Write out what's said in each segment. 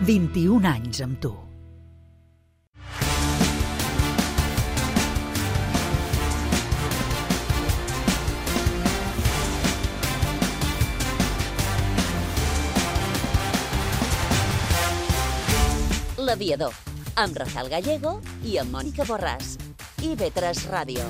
21 anys amb tu. L'Aviador, amb Rafael Gallego i amb Mònica Borràs. IB3 Ràdio.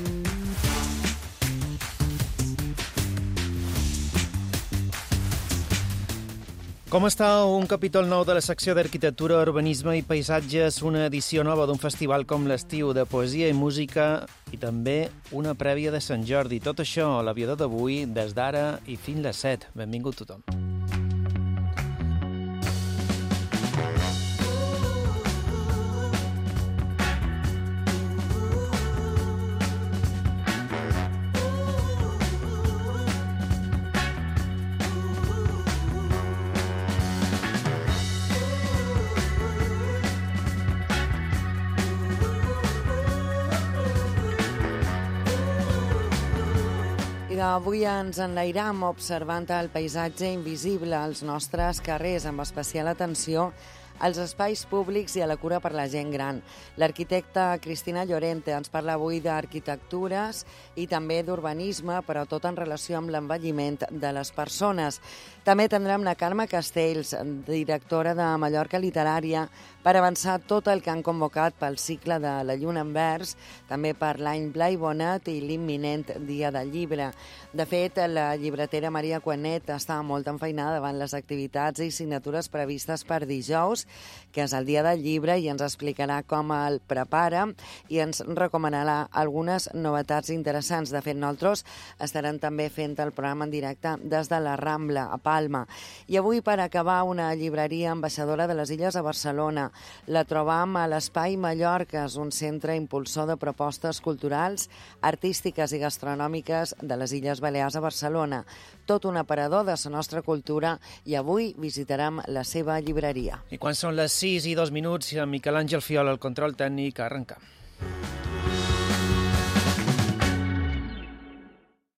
Com està un capítol nou de la secció d'Arquitectura, Urbanisme i Paisatges, una edició nova d'un festival com l'Estiu de Poesia i Música i també una prèvia de Sant Jordi. Tot això a l'Aviador d'avui, des d'ara i fins les 7. Benvingut tothom. Avui ens enlairam observant el paisatge invisible als nostres carrers, amb especial atenció als espais públics i a la cura per la gent gran. L'arquitecta Cristina Llorente ens parla avui d'arquitectures i també d'urbanisme, però tot en relació amb l'envelliment de les persones. També tindrem la Carme Castells, directora de Mallorca Literària, per avançar tot el que han convocat pel cicle de la Lluna en Vers, també per l'any Blai Bonet i l'imminent Dia del Llibre. De fet, la llibretera Maria Cuenet està molt enfeinada davant les activitats i signatures previstes per dijous, que és el Dia del Llibre, i ens explicarà com el prepara i ens recomanarà algunes novetats interessants. De fet, nosaltres estarem també fent el programa en directe des de la Rambla, a Palma. I avui, per acabar, una llibreria ambaixadora de les Illes a Barcelona. La trobam a l'Espai Mallorca, un centre impulsor de propostes culturals, artístiques i gastronòmiques de les Illes Balears a Barcelona. Tot un aparador de la nostra cultura, i avui visitarem la seva llibreria. I quan són les 6 i 2 minuts, amb Miquel Àngel Fiol al control tècnic, arrencam.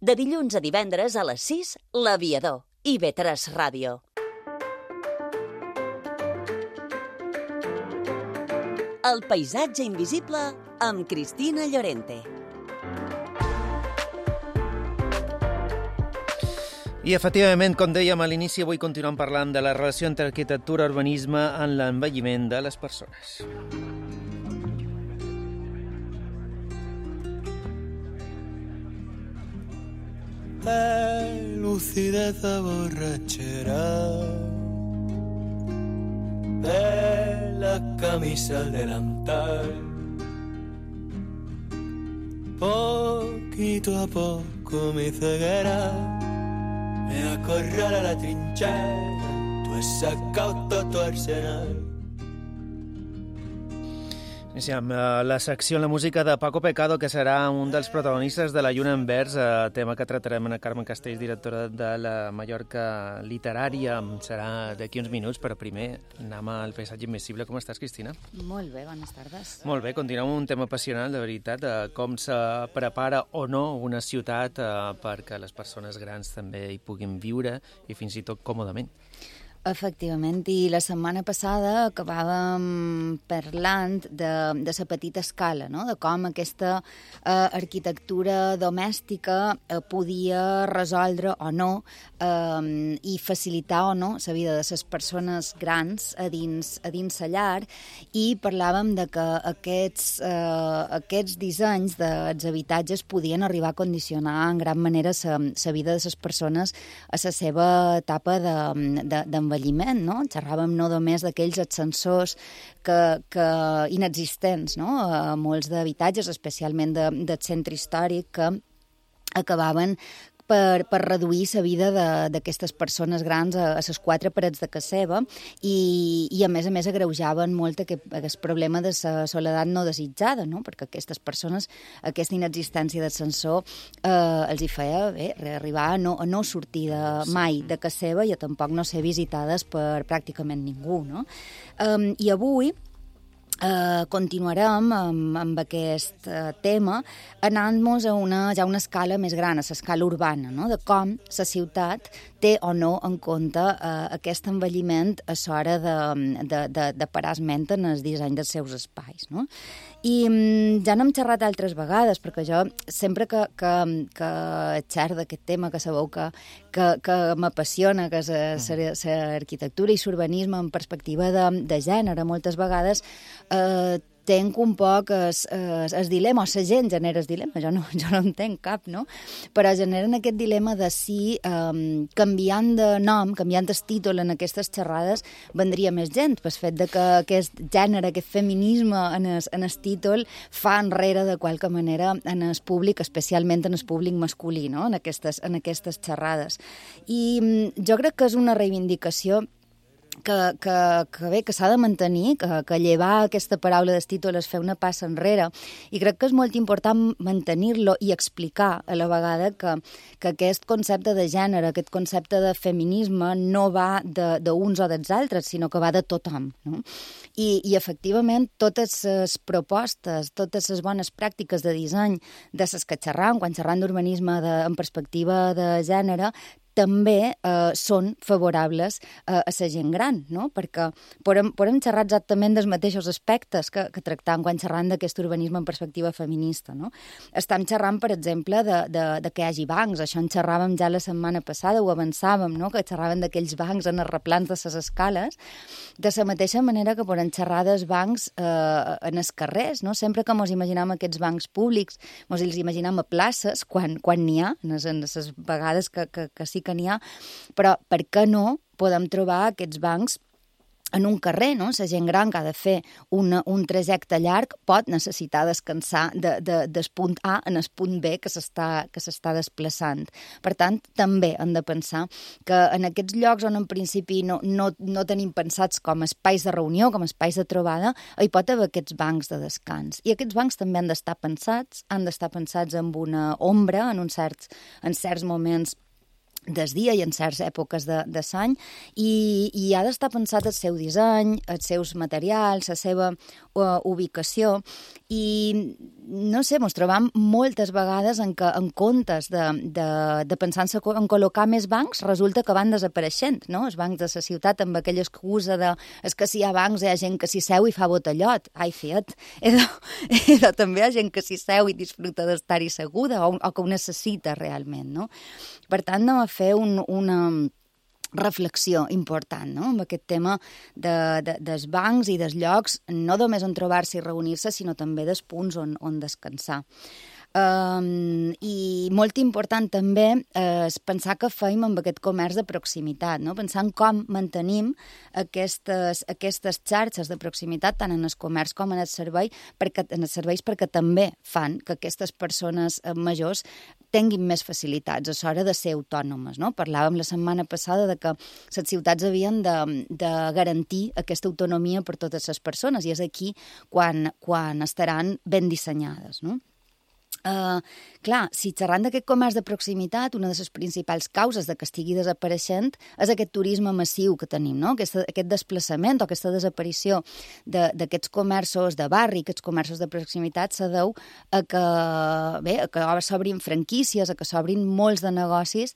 De dilluns a divendres a les 6, l'Aviador. IB3 Ràdio. El paisatge invisible amb Cristina Llorente. I, efectivament, com dèiem a l'inici, avui continuem parlant de la relació entre arquitectura i urbanisme en l'envelliment de les persones. Lucidez borrachera de la camisa al delantal, poquito a poco mi ceguera me acorrala a la trinchera, tú has sacado todo tu arsenal. Iniciem la secció en la música de Paco Pecado, que serà un dels protagonistes de la Lluna en Vers, tema que tratarem amb Carme Castells, directora de la Mallorca Literària. Serà d'aquí uns minuts, però primer anem al paisatge invisible. Com estàs, Cristina? Molt bé, bones tardes. Molt bé, continuem amb un tema apassionant, de veritat, com se prepara o no una ciutat perquè les persones grans també hi puguin viure i fins i tot còmodament. Efectivament, i la setmana passada acabàvem parlant de la petita escala, no? De com aquesta arquitectura domèstica podia resoldre o no i facilitar o no la vida de les persones grans a dins la llar, i parlàvem de que aquests dissenys dels habitatges podien arribar a condicionar en gran manera la vida de les persones a la seva etapa d'envelliment, no? Xerràvem no només d'aquells ascensors que inexistents, no? A molts d'habitatges, especialment del centre històric, que acabaven per reduir la vida d'aquestes persones grans a les quatre parets de casa seva, i a més agreujaven molt aquest problema de la soledat no desitjada, no? Perquè aquestes persones, aquesta inexistència d'ascensor els hi feia arribar a no sortir mai de casa seva i a tampoc no ser visitades per pràcticament ningú, no? I avui continuarem amb aquest tema anant-nos a una escala més gran, a l'escala urbana, no? De com la ciutat té té o no en compte aquest envelliment a l'hora de parar esment en el disseny dels seus espais, no? I ja n'hem xerrat altres vegades, perquè jo sempre que xerro d'aquest tema, que sabeu que m'apassiona, que és l'arquitectura i l'urbanisme en perspectiva de gènere, moltes vegades tenc un poc el dilema, o la gent genera el dilema, jo no en tenc cap, no? Però generen aquest dilema de si canviant de nom, canviant el títol en aquestes xerrades, vendria més gent, pel fet de que aquest gènere, aquest feminisme en el títol fa enrere de qualque manera en el públic, especialment en el públic masculí, no? En aquestes xerrades. I jo crec que és una reivindicació que s'ha de mantenir, que llevar aquesta paraula del títol és fer una passa enrere, i crec que és molt important mantenir-lo i explicar a la vegada que aquest concepte de gènere, aquest concepte de feminisme no va d'uns o dels altres, sinó que va de tothom, no? I efectivament, totes les propostes, totes les bones pràctiques de disseny de les que xerram, quan xerram d'urbanisme en perspectiva de gènere, també són favorables a la gent gran, no? Perquè podem xerrar exactament dels mateixos aspectes que tractam quan xerram d'aquest urbanisme en perspectiva feminista, no? Estem xerrant, per exemple, de que hi hagi bancs. Això en xerràvem ja la setmana passada, ho avançàvem, no? Que xerràvem d'aquells bancs en els replans de les escales, de la mateixa manera que podem xerrar dels bancs en els carrers, no? Sempre que ens imaginem aquests bancs públics, ens els imaginem a places, quan n'hi ha, en les vegades que sí que n'hi ha, però per què no podem trobar aquests bancs en un carrer, no? La gent gran que ha de fer un trajecte llarg pot necessitar descansar del punt A en el punt B que s'està desplaçant. Per tant, també hem de pensar que en aquests llocs on en principi no tenim pensats com espais de reunió, com espais de trobada, hi pot haver aquests bancs de descans. I aquests bancs també han d'estar pensats amb una ombra en certs moments del dia i en certes èpoques de l'any, i ha d'estar pensat el seu disseny, els seus materials, la seva ubicació, i no sé, ens trobam moltes vegades en què en comptes de pensar en col·locar més bancs, resulta que van desapareixent, no? Els bancs de la ciutat amb aquella excusa de és que si hi ha bancs hi ha gent que s'hi seu i fa botellot. Ai, fiat, també hi ha gent que s'hi seu i disfruta d'estar-hi seguda o que ho necessita realment, no? Per tant, anem a fer una reflexió important, no? Amb aquest tema dels bancs i dels llocs, no només on trobar-se i reunir-se, sinó també dels punts on descansar. I molt important també és pensar què fem amb aquest comerç de proximitat, no? Pensar en com mantenim aquestes xarxes de proximitat tant en el comerç com en els serveis, perquè també fan que aquestes persones majors tinguin més facilitats a l'hora de ser autònomes, no? Parlàvem la setmana passada de que les ciutats havien de garantir aquesta autonomia per totes les persones, i és aquí quan estaran ben dissenyades, no? Clar, si xerrant d'aquest comerç de proximitat, una de les principals causes de que estigui desapareixent és aquest turisme massiu que tenim, no? Aquest desplaçament o aquesta desaparició d'aquests comerços de barri, aquests comerços de proximitat, se deu a que s'obrin franquícies, a que s'obrin molts de negocis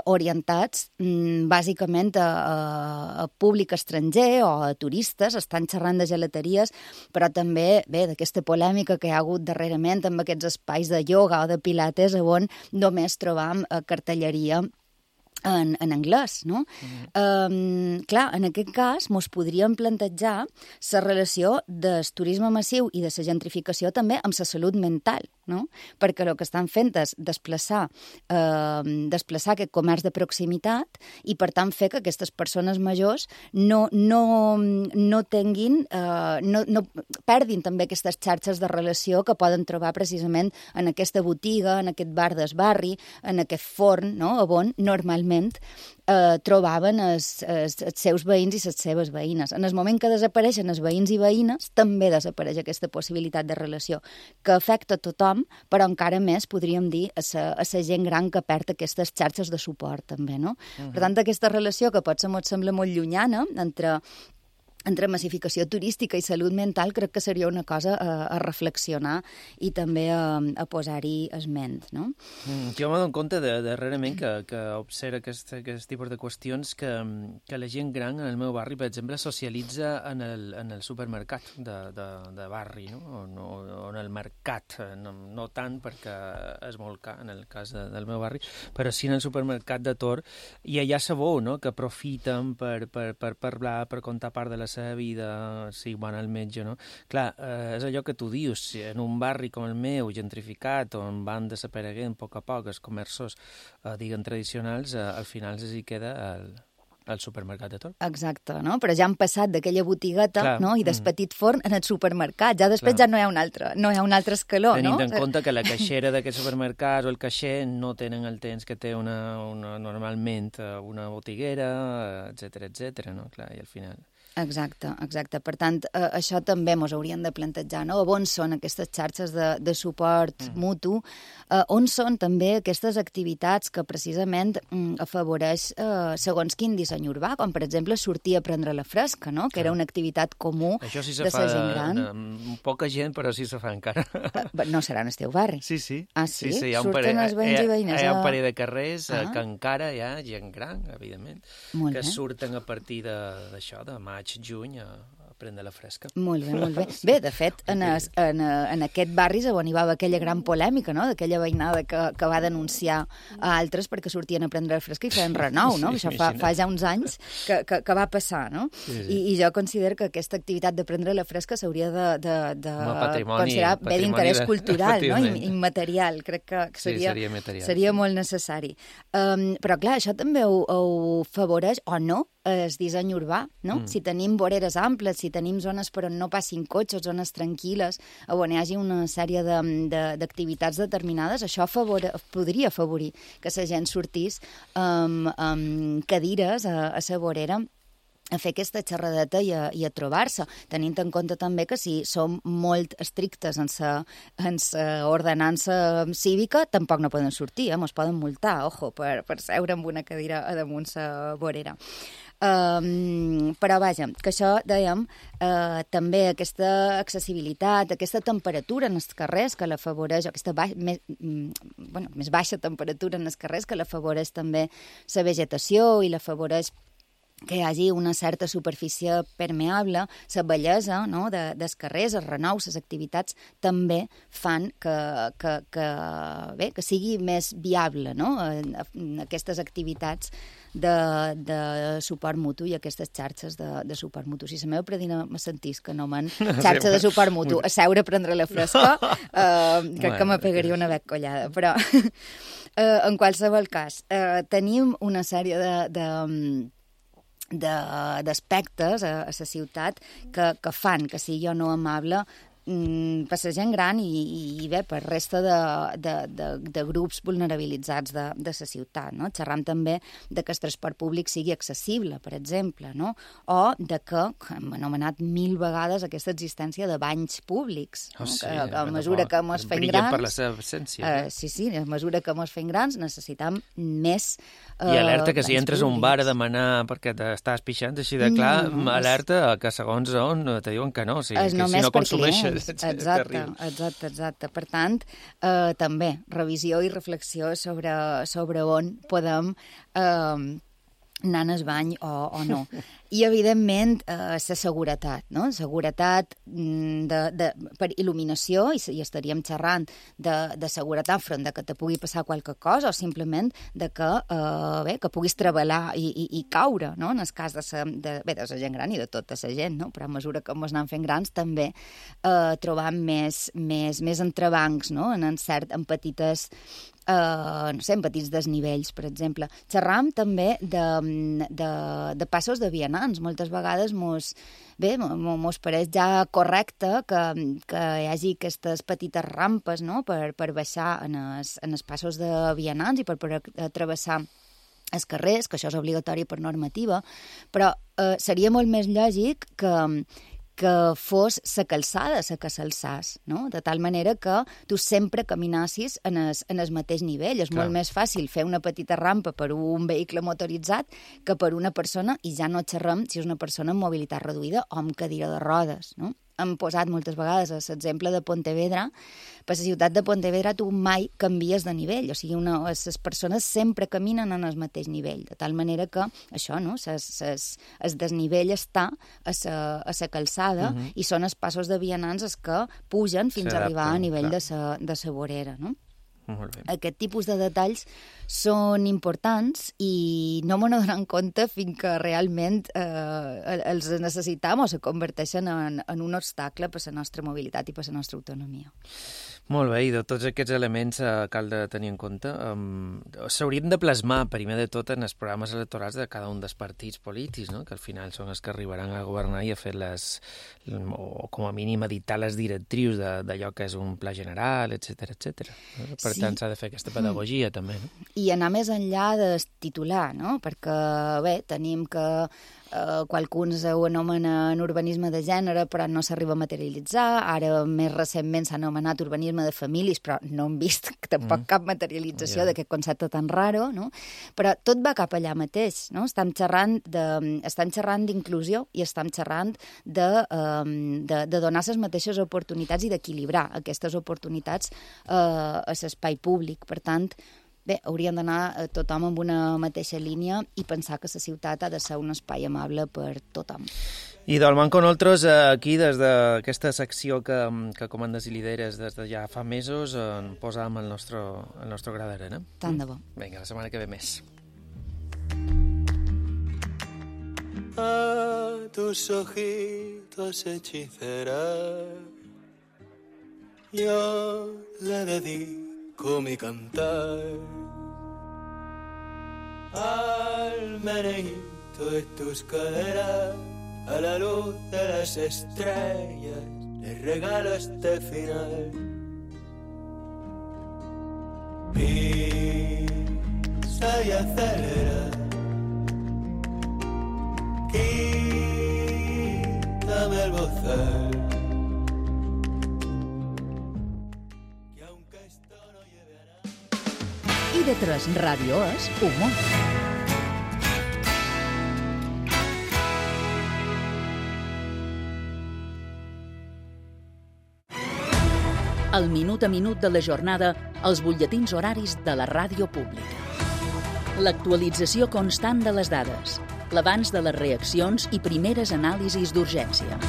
orientats bàsicament a públic estranger o a turistes. Estan xerrant de gelateries, però també d'aquesta polèmica que hi ha hagut darrerament amb aquests espais de ioga o de pilates on només trobam cartelleria en anglès, no? Clar, en aquest cas mos podríem plantejar la relació del turisme massiu i de la gentrificació també amb la salut mental, no? Perquè el que estan fent és desplaçar aquest comerç de proximitat i, per tant, fer que aquestes persones majors no perdin també aquestes xarxes de relació que poden trobar precisament en aquesta botiga, en aquest bar del barri, en aquest forn, no? On normalment trobaven els seus veïns i les seves veïnes. En el moment que desapareixen els veïns i veïnes, també desapareix aquesta possibilitat de relació, que afecta a tothom, però encara més, podríem dir, a la gent gran que perd aquestes xarxes de suport, també, no? Per tant, aquesta relació que potser ens sembla molt llunyana entre entre massificació turística i salut mental, crec que seria una cosa a reflexionar i també a posar-hi esment, no? Jo m'he donat compte darrerament que observa aquest tipus de qüestions que la gent gran en el meu barri, per exemple, socialitza en el supermercat de barri, no? O en el mercat, no tant perquè és molt car en el cas del meu barri, però sí en el supermercat de Tor, i allà sabeu, no?, que aprofiten per parlar, per contar part de la seva vida, si van al metge, no? Clar, és allò que tu dius, si en un barri com el meu, gentrificat, on van desapareguent a poc els comerços, diguem, tradicionals, al final s'hi queda el supermercat de Tor. Exacte, no? Però ja han passat d'aquella botigueta, clar, no?, i del petit forn en el supermercat. Ja després ja no hi ha un altre escaló, no? Tenint en compte que la caixera d'aquest supermercat o el caixer no tenen el temps que té normalment una botiguera, etcètera, no? Clar, i al final... Exacte. Per tant, això també ens hauríem de plantejar, no? On són aquestes xarxes de suport mutu? On són també aquestes activitats que precisament afavoreix segons quin disseny urbà, com per exemple sortir a prendre la fresca, no? Que era una activitat comú de la gent gran. Poca gent, però sí se fa encara. No serà en el teu barri? Sí. Ah, sí? Hi ha Surten els veïns i veïnes? Hi ha un parell de carrers que encara hi ha gent gran, evidentment, que surten a partir d'això, de maig, juny, a prendre la fresca. Molt bé. Bé, de fet, en aquest barri és on hi va haver aquella gran polèmica, no?, d'aquella veïnada que va denunciar a altres perquè sortien a prendre la fresca i feien renou, no? Això fa ja uns anys que va passar, no? Sí. I jo considero que aquesta activitat de prendre la fresca s'hauria de considerar bé d'interès cultural, no?, immaterial. Crec que seria molt necessari. Però, clar, això també ho afavoreix, o no, el disseny urbà, no? Si tenim voreres amples, si tenim zones per on no passin cotxes, zones tranquil·les, on hi hagi una sèrie d'activitats determinades, això podria afavorir que la gent sortís amb cadires a la vorera a fer aquesta xerradeta i a trobar-se, tenint en compte també que si som molt estrictes en la ordenança cívica, tampoc no poden sortir, ens poden multar, per seure amb una cadira a damunt la vorera. Però vaja, que això, dèiem, també aquesta accessibilitat, aquesta temperatura en els carrers que l'afavoreix, aquesta més baixa temperatura en els carrers que l'afavoreix també la vegetació i l'afavoreix que hi hagi una certa superfície permeable, la bellesa, no?, dels carrers, els renous, les activitats, també fan que sigui més viable, no?, aquestes activitats de suport mutu i aquestes xarxes de suport mutu. Si la meva predina me sentís que no m'han xarxa de suport mutu a seure a prendre la fresca, crec que me pegaria una beccollada. Però, en qualsevol cas, tenim una sèrie d'aspectes a la ciutat que fan que sigui o no amable per la gent gran i bé, per resta de grups vulnerabilitzats de la ciutat, no? Xerram també de que el transport públic sigui accessible, per exemple, no? O de que, hem anomenat 1000 vegades aquesta existència de banys públics, no? A mesura que ens fem grans... per la seva absència. Sí, a mesura que ens fem grans necessitam més I alerta que si entres a un bar a demanar perquè t'estàs pixant, així de clar, alerta que segons on te diuen que no, o sigui, que si no consumeixes... Exacte. Per tant, també revisió i reflexió sobre on podem anar al bany o no. I, evidentment, la seguretat, no? Seguretat per il·luminació, i estaríem xerrant de seguretat enfront de que te pugui passar qualque cosa, o simplement de que puguis treballar i caure, no? En el cas de la gent gran i de tota la gent, no? Però a mesura que ens anem fent grans també trobam més entrebancs, no? En petites en petits desnivells, per exemple. Xerram també de passos de vianants. Moltes vegades mos pareix ja correcte que hi hagi aquestes petites rampes, no?, per baixar en els passos de vianants i per travessar els carrers, que això és obligatori per normativa, però seria molt més lògic que que fos la calçada la que s'alçàs, no? De tal manera que tu sempre caminassis en el mateix nivell. És molt més fàcil fer una petita rampa per un vehicle motoritzat que per una persona, i ja no xerrem si és una persona amb mobilitat reduïda o amb cadira de rodes, no? Hem posat moltes vegades l'exemple de Pontevedra. Per la ciutat de Pontevedra tu mai canvies de nivell, o sigui, les persones sempre caminen en el mateix nivell, de tal manera que això, no? El desnivell està a la calçada i són els passos de vianants els que pugen fins a arribar a nivell de la vorera, no? Aquest tipus de detalls són importants i no me n'adonem compte fins que realment els necessitam o se converteixen en un obstacle per la nostra mobilitat i per la nostra autonomia. Molt bé, i de tots aquests elements cal de tenir en compte. S'haurien de plasmar, primer de tot, en els programes electorals de cada un dels partits polítics, no? Que al final són els que arribaran a governar i a fer o com a mínim editar les directrius d'allò que és un pla general, etc etc. Per tant, s'ha de fer aquesta pedagogia, també, no? I anar més enllà del titular, no? Perquè, bé, tenim que qualcuns ho anomenen urbanisme de gènere, però no s'arriba a materialitzar. Ara, més recentment, s'ha anomenat urbanisme de famílies, però no hem vist tampoc cap materialització d'aquest concepte tan raro, no? Però tot va cap allà mateix, no? Estem xerrant d'inclusió i estem xerrant de donar les mateixes oportunitats i d'equilibrar aquestes oportunitats a l'espai públic. Per tant, bé, hauríem d'anar tothom amb una mateixa línia i pensar que la ciutat ha de ser un espai amable per tothom. I d'Alman con nosaltres, aquí, des d'aquesta secció que comandes i lideres des de ja fa mesos, en posàvem el nostre gra d'arena. Tant de bo. Vinga, la setmana que ve més. A tus ojitos hechicera yo le dedico mi cantar al meneíto de tus caderas, a la luz de las estrellas le regalo este final. Pisa y acelera, quítame el bozal. IB3 Ràdio és humor. El minut a minut de la jornada als butlletins horaris de la ràdio pública. L'actualització constant de les dades, l'abans de les reaccions i primeres anàlisis d'urgència.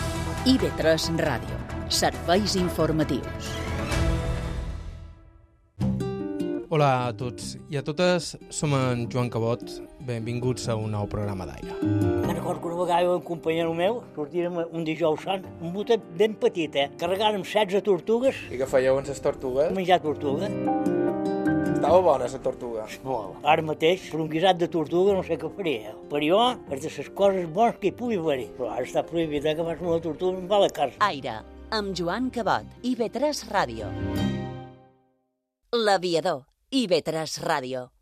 IB3 Ràdio. Serveis informatius. Hola a tots i a totes, som en Joan Cabot, benvinguts a un nou programa d'Aire. Me'n recordo que una vegada un companyero meu sortirem un dijous sant, un botet ben petit, carregàrem 16 tortugues. I què fèieu amb les tortugues? Menjar tortuga. Estava bona la tortuga. Molt. Ara mateix, per un guisat de tortuga no sé què faria. Per jo, és de les coses bones que hi pugui haver. Però ara està prohibit que fas una tortuga i em va a la casa. Aire, amb Joan Cabot, IB3 Ràdio. L'Aviador, IB3 Ràdio.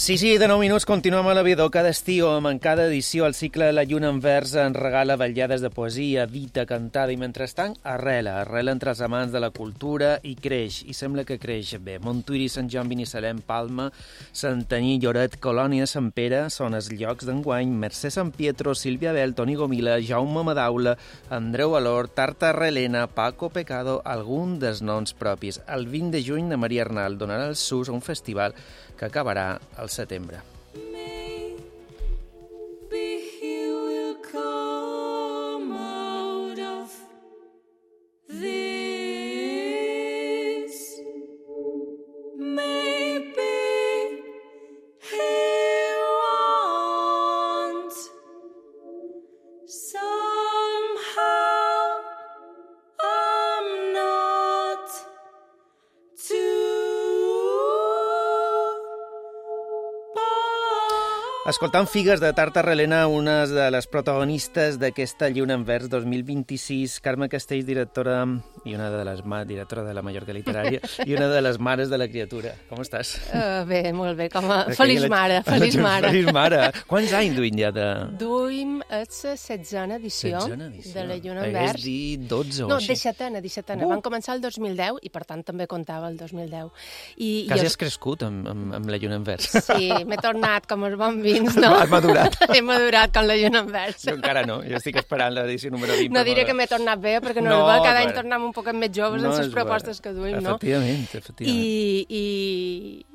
Sí, de 9 minuts continuem a l'Aviador cada estiu, amb en cada edició el cicle La Lluna en Vers ens regala vetllades de poesia, dita, cantada i mentrestant arrela entre els amants de la cultura i creix, i sembla que creix bé. Montuïri, Sant Joan, Binissalem, Palma, Santanyí, Lloret, Colònia, Sant Pere són els llocs d'enguany. Mercè Sant Pietro, Sílvia Bel, Toni Gomila, Jaume Madaula, Andreu Valor, Tarta Relena, Paco Pecado, algun dels noms propis. El 20 de juny, la Maria Arnal donarà el sus a un festival que acabarà al setembre. Escoltant Figues de Tartar Helena, una de les protagonistes d'aquesta Lluna en Vers 2026, Carme Castells, directora i una de les directora de la Mallorca Literària i una de les mares de la criatura. Com estàs? Bé, molt bé. Feliç mare, feliç mare. Feliç mare. Quants anys duim ja de... Duim la 16a edició de la Lluna en Vers. Hagués dit 12 o no, així. 17a. Van començar el 2010 i, per tant, també comptava el 2010. Quasi has crescut amb la Lluna en Vers. Sí, m'he tornat com els bons vins, no? Has madurat. He madurat com la Lluna en Vers. Jo encara no, jo estic esperant l'edició número 20. No diré que m'he tornat bé, perquè no és bo, cada any tornem un poc més joves en les propostes que duim, no? Efectivament.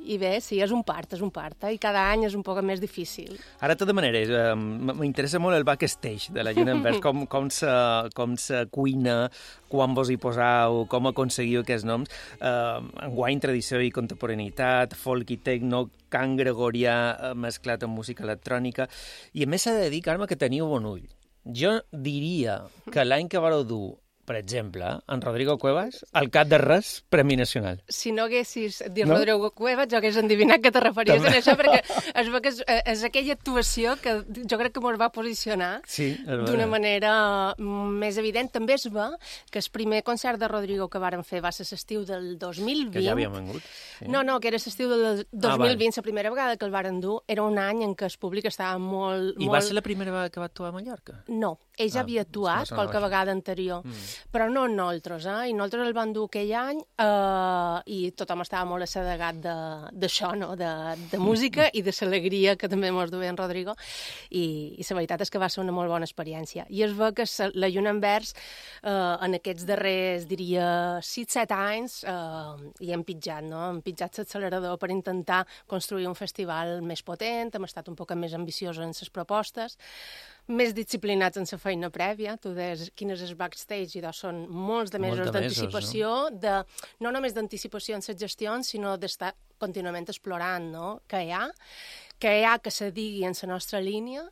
I bé, sí, és un part, i cada any és un poc més difícil. Ara, de tota manera, m'interessa molt el backstage de la Lluna en Vers, com se cuina, quan vos hi poseu, com aconseguiu aquests noms. Enguany, tradició i contemporaneïtat, folk i tecno, cant gregorià mesclat amb música electrònica, i a més s'ha de dir, Carme, que teniu bon ull. Jo diria que l'any que vareu dur, per exemple, en Rodrigo Cuevas, al cap de res, Premi Nacional. Si no haguessis dit Rodrigo Cuevas, jo hagués endivinat que te referies a això, perquè es veu que és aquella actuació que jo crec que ens va posicionar d'una manera més evident. També es veu que el primer concert de Rodrigo que varen fer va ser l'estiu del 2020. Que ja havíem vengut. Sí. No, que era l'estiu del 2020, la primera vegada que el varen dur. Era un any en què el públic estava molt... I va ser la primera vegada que va actuar a Mallorca? No, ell ja havia actuat qualque vegada anterior. Però no nosaltres, i nosaltres el vam dur aquell any i tothom estava molt assedegat d'això, no? De música i de l'alegria que també ens duia en Rodrigo, i la veritat és que va ser una molt bona experiència. I es veu que la Lluna en Vers en aquests darrers, diria, 6-7 anys hi hem pitjat, no? Hem pitjat l'accelerador per intentar construir un festival més potent, hem estat un poc més ambiciosos en les propostes, més disciplinats en la feina prèvia. Tu deies quin és el backstage, i són molts de mesos d'anticipació, no només d'anticipació en les gestions, sinó d'estar contínuament explorant, no? Què hi ha, que se digui en la nostra línia,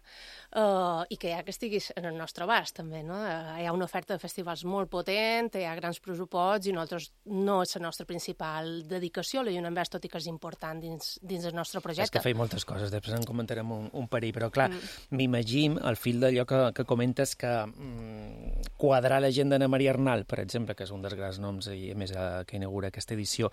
i que hi ha que estigui en el nostre abast, també, no? Hi ha una oferta de festivals molt potent, hi ha grans pressuposts, i nosaltres no és la nostra principal dedicació, la Lluna en Vers, tot i que és important dins el nostre projecte. És que feim moltes coses, després en comentarem un parell, però clar, m'imagino, al fil d'allò que comentes, que quadrar l'agenda d'Anna Maria Arnal, per exemple, que és un dels grans noms, i a més que inaugura aquesta edició,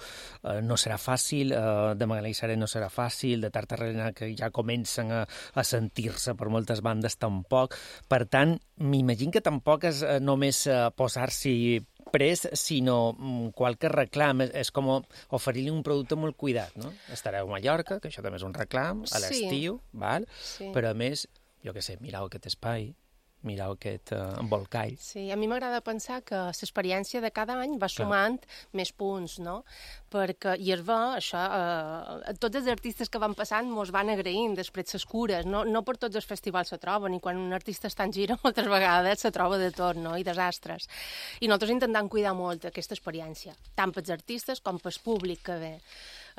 no serà fàcil, de Magalí Seré no serà fàcil, de Tartar Helena, que ja comencen a sentir-se per moltes bandes tampoc. Per tant, m'imagino que tampoc és només posar-s'hi pres, sinó qualque reclam. És com oferir-li un producte molt cuidat, no? Estareu a Mallorca, que això també és un reclam, a l'estiu, val? Però a més, jo què sé, mireu aquest espai, mireu aquest embolcall. Sí, a mi m'agrada pensar que l'experiència de cada any va sumant més punts, no? Perquè, i es va, això, tots els artistes que van passant mos van agraint després les cures, no per tots els festivals se troben, i quan un artista està en gira moltes vegades se troba de tot, no? I desastres. I nosaltres intentem cuidar molt aquesta experiència, tant pels artistes com pel públic que ve.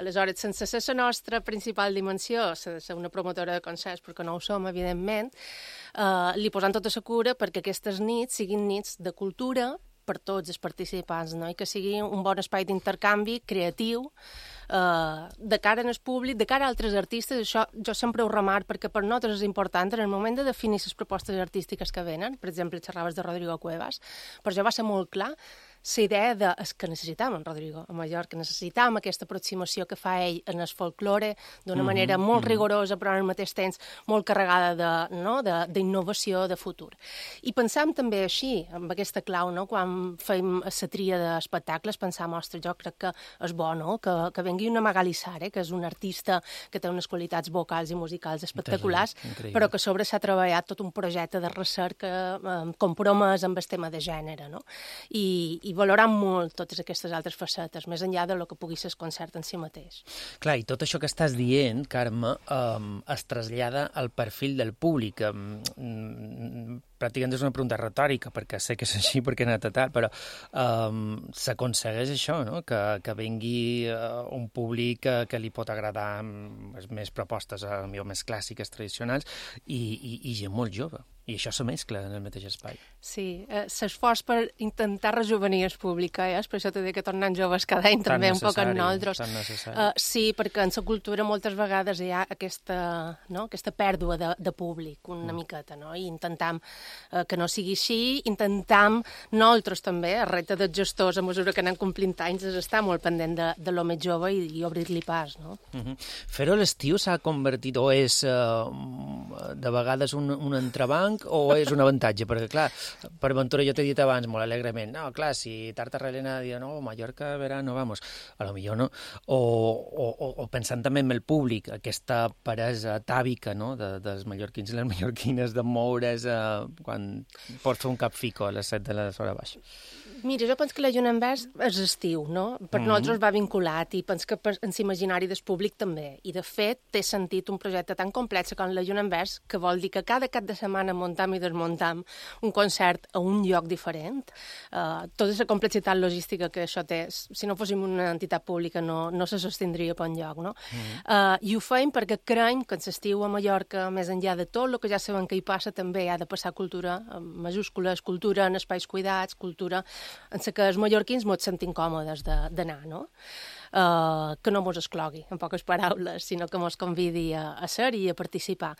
Aleshores, sense ser la nostra principal dimensió, ser una promotora de concerts, perquè no ho som, evidentment, li posant tota la cura perquè aquestes nits siguin nits de cultura per tots els participants, no? I que sigui un bon espai d'intercanvi creatiu de cara al públic, de cara a altres artistes. Això jo sempre ho remarco, perquè per nosaltres és important en el moment de definir les propostes artístiques que venen. Per exemple, xerraves de Rodrigo Cuevas, per això va ser molt clar la idea de que necessitàvem en Rodrigo a Mallorca, necessitàvem aquesta aproximació que fa ell en el folklore d'una manera molt rigorosa, però al mateix temps molt carregada d'innovació, de futur. I pensàvem també així, amb aquesta clau, no? Quan fèiem la tria d'espectacles, pensàvem, ostres, jo crec que és bo, no? Que vengui una Magalí Seré, que és un artista que té unes qualitats vocals i musicals espectaculars, però que a sobre s'ha treballat tot un projecte de recerca compromès amb el tema de gènere, no? I valorant molt totes aquestes altres facetes, més enllà de lo que pugui ser el concert en si mateix. Clar, i tot això que estàs dient, Carme, es trasllada al perfil del públic. Pràcticament és una pregunta retòrica, perquè sé que és així, perquè he anat a tal, però s'aconsegueix això, no? Que vengui un públic que li pot agradar més propostes, millor més clàssiques, tradicionals, i gent molt jove. I això se mescla en el mateix espai. Sí, l'esforç per intentar rejuvenir el públic, per això t'he dit que tornant joves cada any també un poc en nosaltres. Sí, perquè en la cultura moltes vegades hi ha aquesta pèrdua de públic una miqueta, no? I intentam que no sigui així, intentam nosaltres també, el repte dels gestors a mesura que anem complint anys és estar molt pendent de lo més jove i obrir-li pas, no? Fer-ho a l'estiu s'ha convertit, o és de vegades un entrebanc o és un avantatge? Perquè, clar, per Ventura jo t'he dit abans molt alegrement, no, clar, si Tartarrelena diu, no, Mallorca, verano, vamos, a lo millor no, o pensant també en el públic, aquesta peresa atàvica, no?, dels mallorquins i les mallorquines de moure's quan pots fer un capfico a les 7 de l'hora baixa. Mira, jo penso que la Lluna en Vers és estiu, no? Per nosaltres va vinculat i penso que en l'imaginari del públic també. I, de fet, té sentit un projecte tan complex com la Lluna en Vers, que vol dir que cada cap de setmana muntam i desmuntam un concert a un lloc diferent. Tota la complexitat logística que això té, si no fóssim una entitat pública no se sostindria per enlloc, no? I ho feim perquè creiem que en l'estiu a Mallorca, més enllà de tot el que ja sabem que hi passa, també ha de passar cultura, amb majúscules, cultura en espais cuidats, cultura en què els mallorquins ens sentim còmodes d'anar, no? Que no ens exclogui, en poques paraules, sinó que ens convidi a ser-hi i a participar.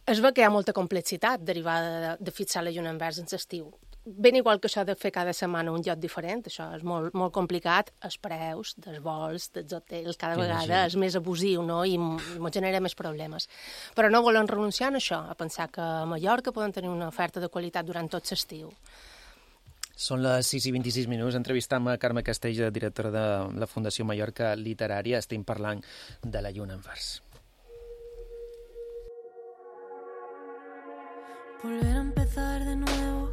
Es veu que hi ha molta complexitat derivada de fixar la Lluna en Vers en l'estiu. Ben igual que això de fer cada setmana un lloc diferent, això és molt, molt complicat, els preus dels vols, dels hotels, cada vegada és més abusiu, no?, i ens genera més problemes. Però no volem renunciar a això, a pensar que a Mallorca podem tenir una oferta de qualitat durant tot l'estiu. Són les 6:26, entrevistam a Carme Castells, directora de la Fundació Mallorca Literària. Estem parlant de la Lluna en Vers. Volver a empezar de nuevo,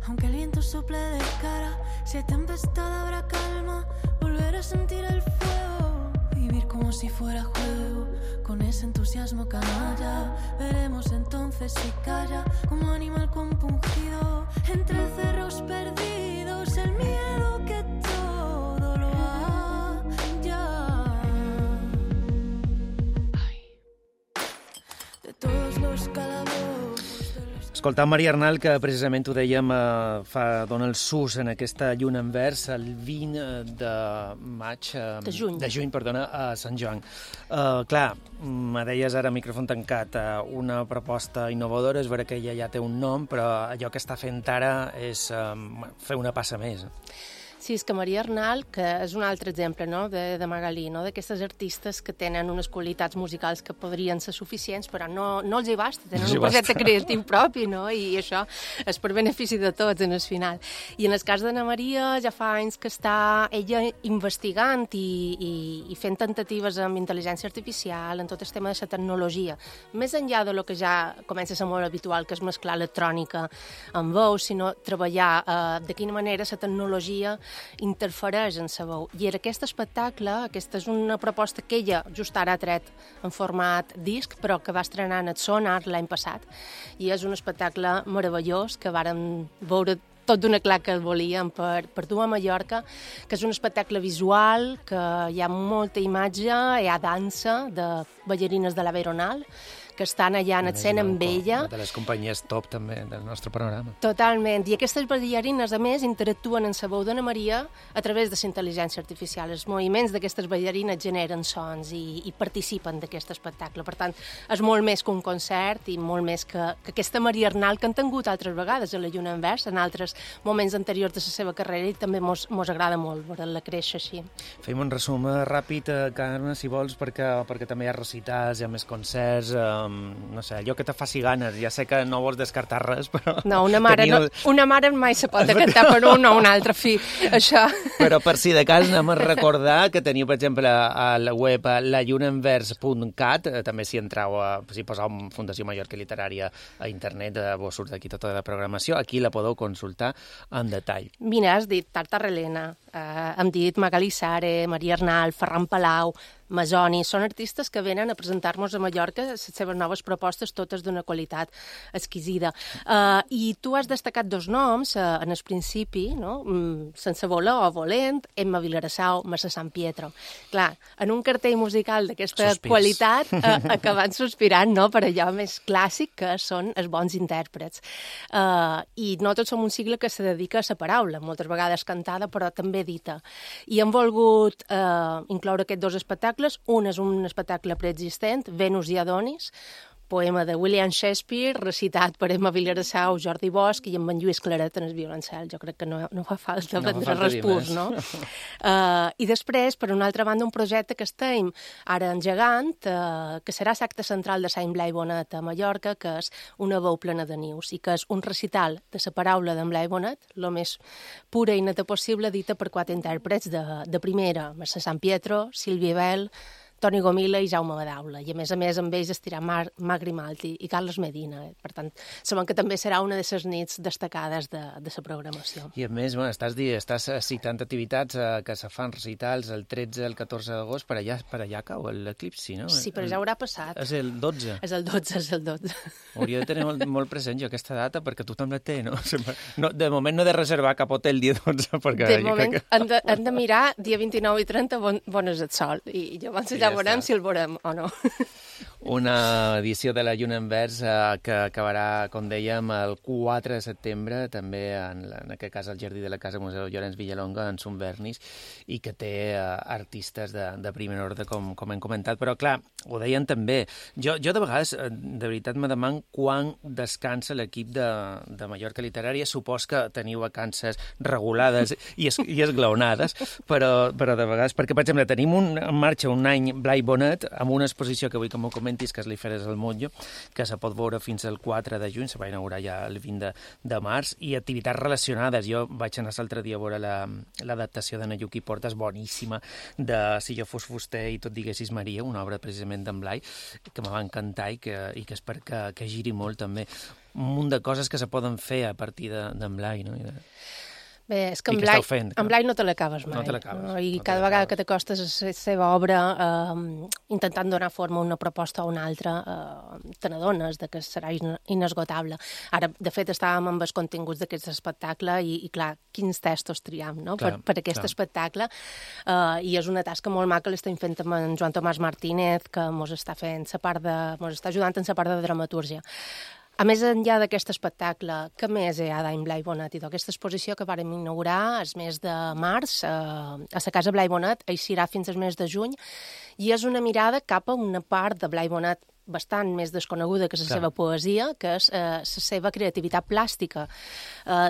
aunque el viento sople de cara, si hay tempestad habrá calma, volver a sentir el fuego, vivir como si fuera juego, con ese entusiasmo canalla, veremos entonces si calla, como animal compungido, entre cerros perdidos, el miedo que todo lo halla. De todos los calabozos. Escoltant Maria Arnal, que precisament ho dèiem, dona el sus en aquesta Lluna en Vers el 20 de maig... De juny, a Sant Joan. Clar, me deies ara, micròfon tancat, una proposta innovadora, és vera que ella ja té un nom, però allò que està fent ara és fer una passa més. Sí, és que Maria Arnal, que és un altre exemple, no?, de Magalí, no?, d'aquestes artistes que tenen unes qualitats musicals que podrien ser suficients, però no els hi basta, tenen un projecte creatiu propi, no?, i això és per benefici de tots en el final. I en el cas d'Anna Maria ja fa anys que està ella investigant i fent tentatives amb intel·ligència artificial, en tot el tema de la tecnologia, més enllà de lo que ja comença a ser molt habitual, que és mesclar electrònica amb veu, sinó treballar de quina manera la tecnologia interfereix en la veu. I en aquest espectacle, aquesta és una proposta que ella just ara ha tret en format disc, però que va estrenar en el Sonar l'any passat. I és un espectacle meravellós que vàrem veure tot d'una clar que el volíem per dur a Mallorca, que és un espectacle visual, que hi ha molta imatge, hi ha dansa de ballarines de la Veronal, que estan allà en escena amb ella. Una de les companyies top també del nostre panorama. Totalment. I aquestes ballarines, a més, interactuen en la veu d'Anna Maria a través de la intel·ligència artificial. Els moviments d'aquestes ballarines generen sons i participen d'aquest espectacle. Per tant, és molt més que un concert i molt més que aquesta Maria Arnal que han tingut altres vegades a la Lluna en Vers, en altres moments anteriors de la seva carrera, i també mos agrada molt veure-la créixer així. Fem un resum ràpid, Carme, si vols, perquè també hi ha recitals, hi ha més concerts, no sé, allò que te faci ganes. Ja sé que no vols descartar res, però... No, una mare mai se pot decantar per un o un altre fi, això. Però per si de cas anem a recordar que teniu, per exemple, a la web lallunaenvers.cat, també si entreu, si poseu Fundació Mallorca Literària a internet, vos surt aquí tota la programació, aquí la podeu consultar en detall. Mira, has dit Tartarrelena, hem dit Magalí Sare, Maria Arnal, Ferran Palau, Masoni, són artistes que venen a presentar-nos a Mallorca les seves noves propostes, totes d'una qualitat exquisida. I tu has destacat dos noms en el principi, no? Sense voler o volent, Emma Vilarassau, Mercè Sampietro. Clar, en un cartell musical d'aquesta qualitat acaben sospirant, no?, per allò més clàssic que són els bons intèrprets. I no tots som un cicle que se dedica a la paraula, moltes vegades cantada, però també dita. I hem volgut incloure aquests dos espectacles. Un és un espectacle preexistent, Venus i Adonis, poema de William Shakespeare, recitat per Emma Vilarassau, Jordi Bosch i en Lluís Claret en el violoncel. Jo crec que no fa falta prendre respurs, no? I després, per una altra banda, un projecte que estem ara engegant, que serà l'acte central de Sant Blai Bonet a Mallorca, que és Una veu plena de nius, i que és un recital de la paraula d'en Blai Bonet, el més pura i neta possible, dita per 4 intèrprets de primera, Mercè Sampietro, Sílvia Bel, Toni Gomila i Jaume Badaula. I a més amb ells estirà Marc Grimaldi i Carles Medina. Per tant, sabem que també serà una de les nits destacades de la programació. I a més, estàs citant activitats que se fan recitals el 13 i el 14 d'agost, per allà cau l'eclipsi, no? Sí, però ja haurà passat. És el 12. És el 12. Hauria de tenir molt present jo aquesta data, perquè tothom la té, no? De moment no he de reservar cap hotel dia 12, perquè... De moment hem de mirar dia 29 i 30 bon és el sol, i llavors ja veurem si el veurem o no. Una edició de la Lluna en Vers que acabarà, com dèiem, el 4 de setembre, també en aquest cas al Jardí de la Casa Museu Llorenç Villalonga, en Sunvernis, i que té artistes de primer ordre, com hem comentat. Però, clar, ho deien també. Jo de vegades, de veritat, me deman quan descansa l'equip de Mallorca Literària. Supos que teniu vacances regulades i esglaonades, però de vegades... Perquè, per exemple, tenim en marxa un any Blai Bonet amb una exposició que vull que m'ho comentis, que és l'Iferes al Motllo, que se pot veure fins al 4 de juny, se va inaugurar ja el 20 de març, i activitats relacionades. Jo vaig anar l'altre dia a veure l'adaptació de Nayuki Portas, boníssima, de Si jo fos fuster i tot diguessis Maria, una obra precisament d'en Blai, que me va encantar i que espero que giri molt també. Un munt de coses que se poden fer a partir d'en Blai, no? Bé, és que en Blai no te l'acabes mai. No te l'acabes. No? I cada vegada que t'acostes a la seva obra intentant donar forma a una proposta o una altra, te n'adones que serà inesgotable. Ara, de fet, estàvem amb els continguts d'aquest espectacle i clar, quins textos triam, no? Per aquest espectacle. I és una tasca molt maca, l'estem fent amb en Joan Tomàs Martínez, que mos està ajudant en la part de dramatúrgia. A més enllà d'aquest espectacle, què més hi ha d'en Blai Bonet? Aquesta exposició que vàrem inaugurar el mes de març a la Casa Blai Bonet, eixirà fins al mes de juny, i és una mirada cap a una part de Blai Bonet bastant més desconeguda que la seva poesia, que és la seva creativitat plàstica.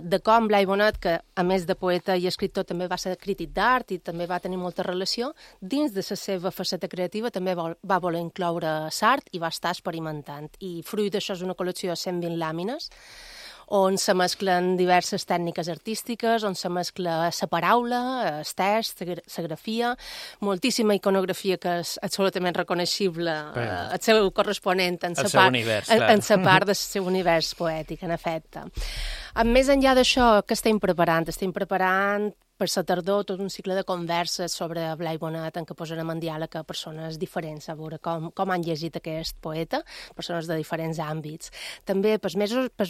De com Blai Bonet, que a més de poeta i escriptor també va ser crític d'art i també va tenir molta relació, dins de la seva faceta creativa també va voler incloure l'art i va estar experimentant. I fruit d'això és una col·lecció de 120 làmines, on se mesclen diverses tècniques artístiques, on se mescla la paraula, el text, la grafia, moltíssima iconografia que és absolutament reconeixible, el seu corresponent en la part del seu univers poètic, en efecte. Més enllà d'això, què estem preparant? Estem preparant per la tardor tot un cicle de converses sobre Blai Bonet en què posarem en diàleg a persones diferents, a veure com han llegit aquest poeta, persones de diferents àmbits. També pels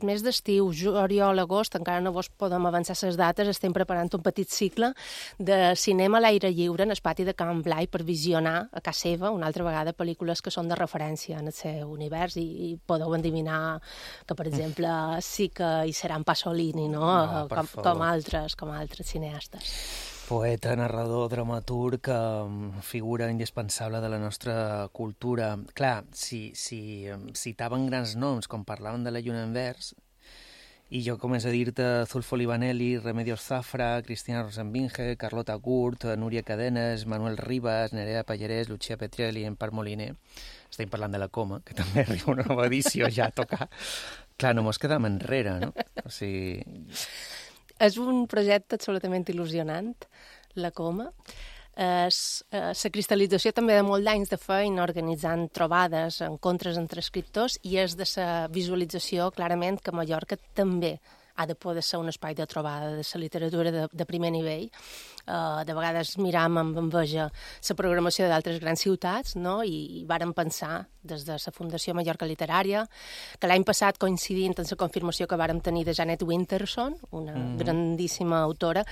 mes d'estiu, juliol, agost, encara no vos podem avançar les dates, estem preparant un petit cicle de cinema a l'aire lliure en el pati de Can Blai per visionar a casa seva una altra vegada pel·lícules que són de referència en el seu univers i podeu endevinar que, per exemple, sí que hi serà en Pasolini, no? Com altres cineastes. Poeta, narrador, dramaturg, figura indispensable de la nostra cultura. Clar, si citaven grans noms, com parlaven de la Lluna en Vers, i jo començo a dir-te Zulfo Livaneli, Remedios Zafra, Cristina Rosenbinge, Carlota Gurt, Núria Cadenes, Manuel Ribas, Nerea Pallarès, Lucia Petrelli, Empar Moliner. Estem parlant de la Coma, que també arriba una nova edició ja a tocar. Clar, no mos quedem enrere, no? O sigui... És un projecte absolutament il·lusionant, la Coma. La cristal·lització també de molt d'anys de feina organitzant trobades, encontres entre escriptors, i és de la visualització clarament que Mallorca també ha de poder ser un espai de trobada de la literatura de primer nivell. De vegades miram amb enveja la programació d'altres grans ciutats, no? I vàrem pensar des de la Fundació Mallorca Literària que l'any passat, coincidint amb la confirmació que vàrem tenir de Janet Winterson, una grandíssima autora,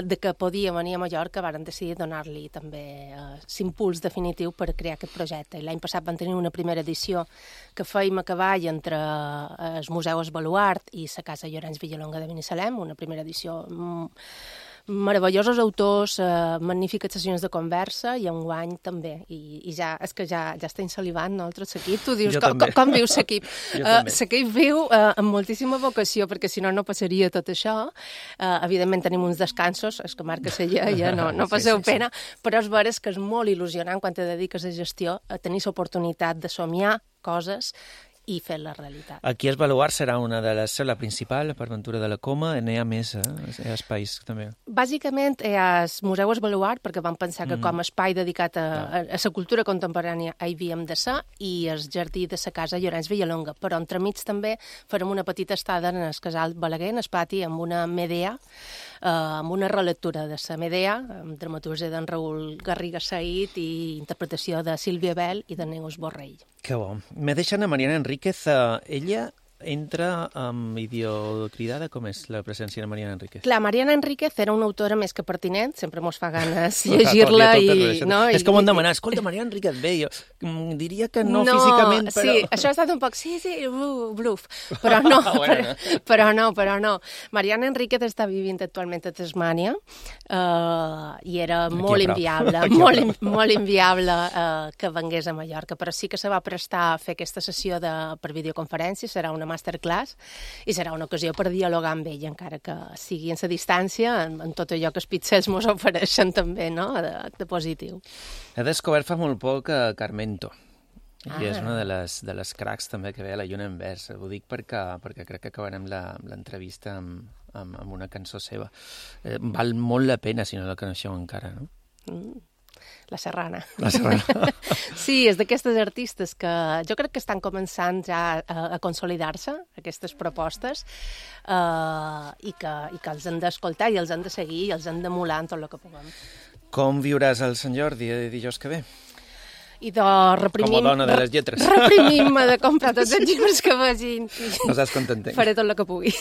de que podia venir a Mallorca, vàrem decidir donar-li també l'impuls definitiu per crear aquest projecte. I l'any passat vam tenir una primera edició que fèiem a cavall entre el Museu Esbaluart i la Casa Llorenç Villalonga de Binissalem, una primera edició meravellosos autors, magnífiques sessions de conversa, i enguany també. I ja, és que ja està insalivant, no, el tros equip. Tu dius, com viu l'equip? L'equip viu amb moltíssima vocació, perquè si no, no passaria tot això. Evidentment tenim uns descansos, és que marca la lleia, no passeu pena, però és veres que és molt il·lusionant quan te dediques a gestió, a tenir l'oportunitat de somiar coses i fer la realitat. Aquí Esbaluart serà una de les... la principal, per Ventura de la Coma, n'hi ha més, hi ha espais també. Bàsicament hi ha el Museu Esbaluart, perquè vam pensar que com a espai dedicat a la cultura contemporània hi havíem de ser, i el jardí de la Casa Llorenç Villalonga, però entremig també farem una petita estada en el Casal Balaguer, en el pati, amb una Medea, amb una relectura de la Medea, amb dramaturgia d'en Raül Garriga Said i interpretació de Sílvia Bell i de Neus Borrell. Que bo. Me deixen a Mariana Enríquez. Ella entra amb idiocridada. Com és la presència de Mariana Enríquez? Clar, Mariana Enríquez era una autora més que pertinent, sempre mos fa ganes llegir-la i... És com on demanar, escolta, Mariana Enríquez, bé, jo diria que no físicament, però... Sí, això ha estat un poc, sí, bluf, però no, però no. Mariana Enríquez està vivint actualment a Tasmània i era molt inviable, molt inviable que vengués a Mallorca, però sí que se va prestar a fer aquesta sessió per videoconferència, serà una masterclass i serà una ocasió per dialogar amb ell, encara que sigui en la distància, en tot allò que els pizzers mos ofereixen també, no?, de positiu. He descobert fa molt poc Carmento, i és una de les cracs també que ve a la Lluna en vers. Ho dic perquè crec que acabarem l'entrevista amb una cançó seva. Val molt la pena si no la coneixeu encara, no? La Serrana. La Serrana. Sí, és d'aquestes artistes que jo crec que estan començant ja a consolidar-se, aquestes propostes, i que els hem d'escoltar i els hem de seguir i els hem d'emular en tot el que puguem. Com viuràs el Sant Jordi dijous que ve? I de reprimim... Com a dona de les lletres. Reprimim-me de comprar tots els llibres que vagin. No saps com t'entenc. Faré tot el que pugui.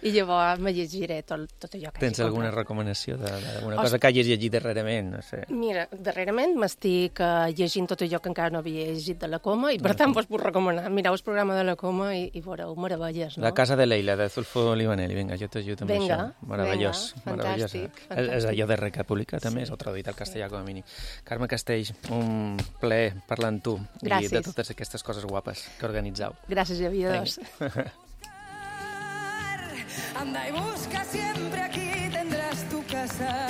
I llavors me llegiré tot allò que Tens alguna recomanació d'alguna cosa que hagis llegit darrerament? No sé. Mira, darrerament m'estic llegint tot allò que encara no havia llegit de la Coma i per tant vos puc recomanar. Mireu el programa de la Coma i veureu meravelles, no? La casa de Leila, de Zulfo Livaneli. Vinga, jo t'ajudo amb això. Meravellós. Fantàstic. És allò de República, també, és el traduït al castellà com a mínim. Carme Castells, un plaer parlar amb tu. Gràcies. I de totes aquestes coses guapes que organitzeu. Gràcies, Javier. Anda y busca siempre, aquí tendrás tu casa.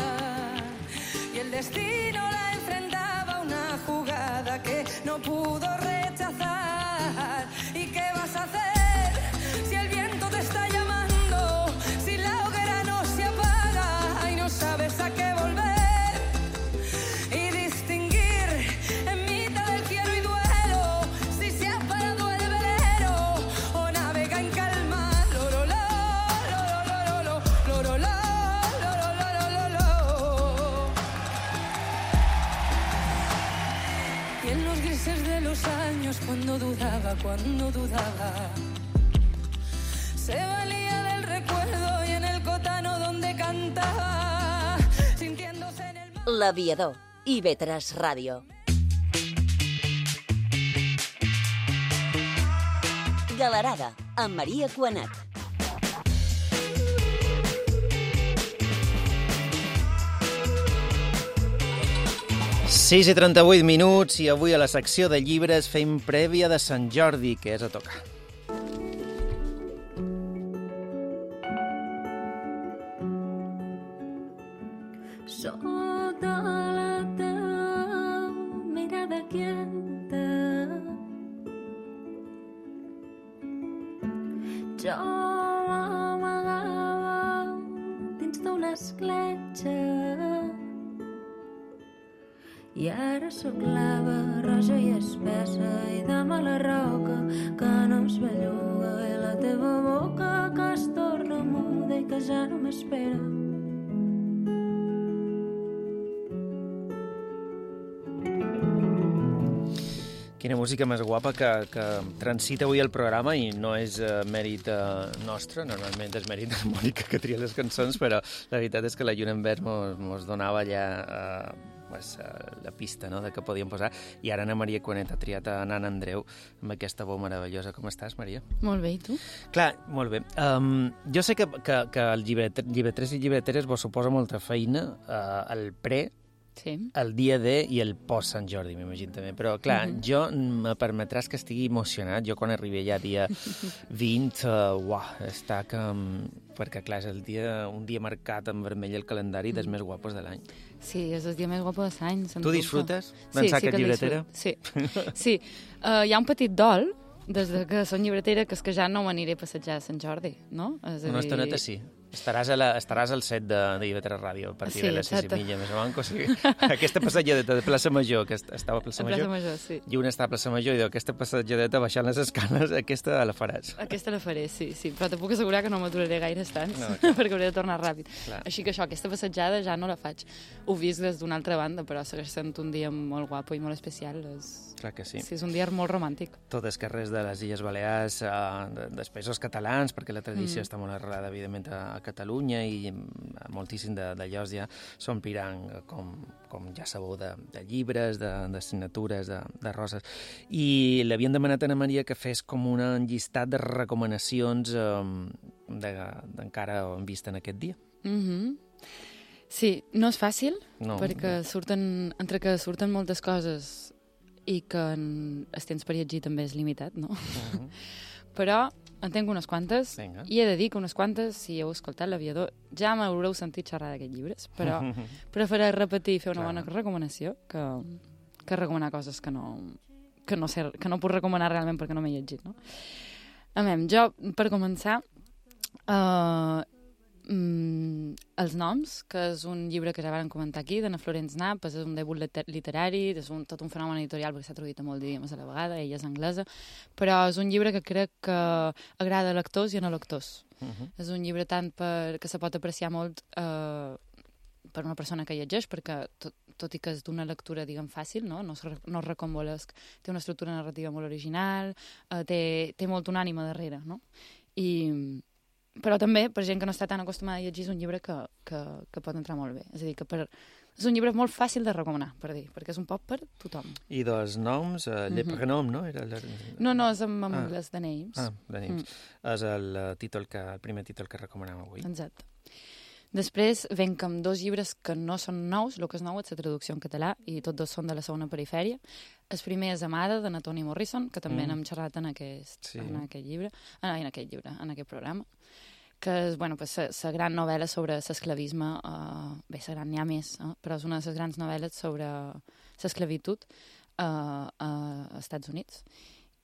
Y el destino la enfrentaba a una jugada que no pudo rechazar. ¿Y qué vas a hacer si el viento te está llamando? Si la hoguera no se apaga y no sabes a qué volver. Y distinguir en mitad del quiero y duelo si se ha parado el velero o navega en calma. Y en los grises de los años cuando dudaba se valía del recuerdo y en el cotano donde cantaba sintiéndose en el mar. L'Aviador, IB3 Ràdio. Galerada, amb Maria Cuanat. Sis i 38 minuts i avui a la secció de llibres fem prèvia de Sant Jordi, que és a tocar. Sota la teva mirada quieta jo m'amagava dins d'una escletxa i ara sóc lava roja i espessa i dama la roca que no es belluga i la teva boca que es torna Quina música més guapa que transita avui el programa i no és mèrit nostre, normalment és mèrit de Mònica que tria les cançons, però la veritat és que la Lluna en Verd mos donava ja la pista, no?, de què podíem posar. I ara Ana Maria Cuanet ha triat a Nan Andreu amb aquesta veu meravellosa. Com estàs, Maria? Molt bé, i tu? Clar, molt bé. Jo sé que el llibreters i llibreteres vos suposa molta feina, el pre, sí, el dia de i el post Sant Jordi, m'imagino també. Però, clar, jo me permetràs que estigui emocionat. Jo, quan arribi ja dia 20, està que... Perquè, clar, és un dia marcat en vermell al calendari dels més guapos de l'any. Sí, és el dia més guapo de l'any. Tu disfrutes d'ençà aquest llibretera? Sí. Hi ha un petit dol des que som llibretera, que és que ja no m'aniré a passejar a Sant Jordi, no? Una estoneta sí. Estaràs al set de Llibretera Ràdio a partir de les 6:30, més o menys. O sigui, aquesta passejadeta de Plaça Major, que estava a Plaça Major, sí. I una està a Plaça Major, i diu, aquesta passejadeta baixant les escales, aquesta la faràs. Aquesta la faré, sí. Però te puc assegurar que no m'aturaré gaire estants, perquè hauré de tornar ràpid. Clar. Així que aquesta passejada ja no la faig. Ho vist des d'una altra banda, però segueix sent un dia molt guapo i molt especial. Clar que sí. Sí, és un dia molt romàntic. Tots els carrers de les Illes Balears, dels països catalans, perquè la tradició està molt arrelada, evidentment, a Catalunya, i moltíssim de llocs ja s'ompliran, com ja sabeu, de llibres, de signatures, de roses. I l'havien demanat a Ana Maria que fes com un llistat de recomanacions d'encara hem vist en aquest dia. Sí, no és fàcil, perquè entre que surten moltes coses i que el temps per llegir també és limitat, no? Però en tinc unes quantes, i he de dir que unes quantes, si heu escoltat l'Aviador, ja m'haureu sentit xerrar d'aquests llibres, però prefereix repetir i fer una bona recomanació que recomanar coses que no puc recomanar realment perquè no m'he llegit, no? Jo, per començar, Els noms, que és un llibre que ja vam comentar aquí, d'Anna Florence Knapp, és un debut literari, és tot un fenomen editorial perquè s'ha traduït a molt d'idiomes a la vegada, ella és anglesa, però és un llibre que crec que agrada a lectors i a no lectors. És un llibre tant que se pot apreciar molt per una persona que llegeix, perquè tot i que és d'una lectura, diguem, fàcil, no és recombolesc, té una estructura narrativa molt original, té molt una ànima darrere, no? Però també, per gent que no està tan acostumada a llegir, és un llibre que pot entrar molt bé. És a dir, que és un llibre molt fàcil de recomanar, perquè és un poc per tothom. I dos noms, Le Prénom, no? No, és en anglès, The Names. The Names. És el primer títol que recomanem avui. Exacte. Després venc amb dos llibres que no són nous, el que és nou és la traducció en català, i tots dos són de la segona perifèria. El primer és Amada, de Toni Morrison, que també n'hem xerrat en aquest programa, que és la gran novel·la sobre l'esclavisme, bé, la gran n'hi ha més, però és una de les grans novel·les sobre l'esclavitud a Estats Units.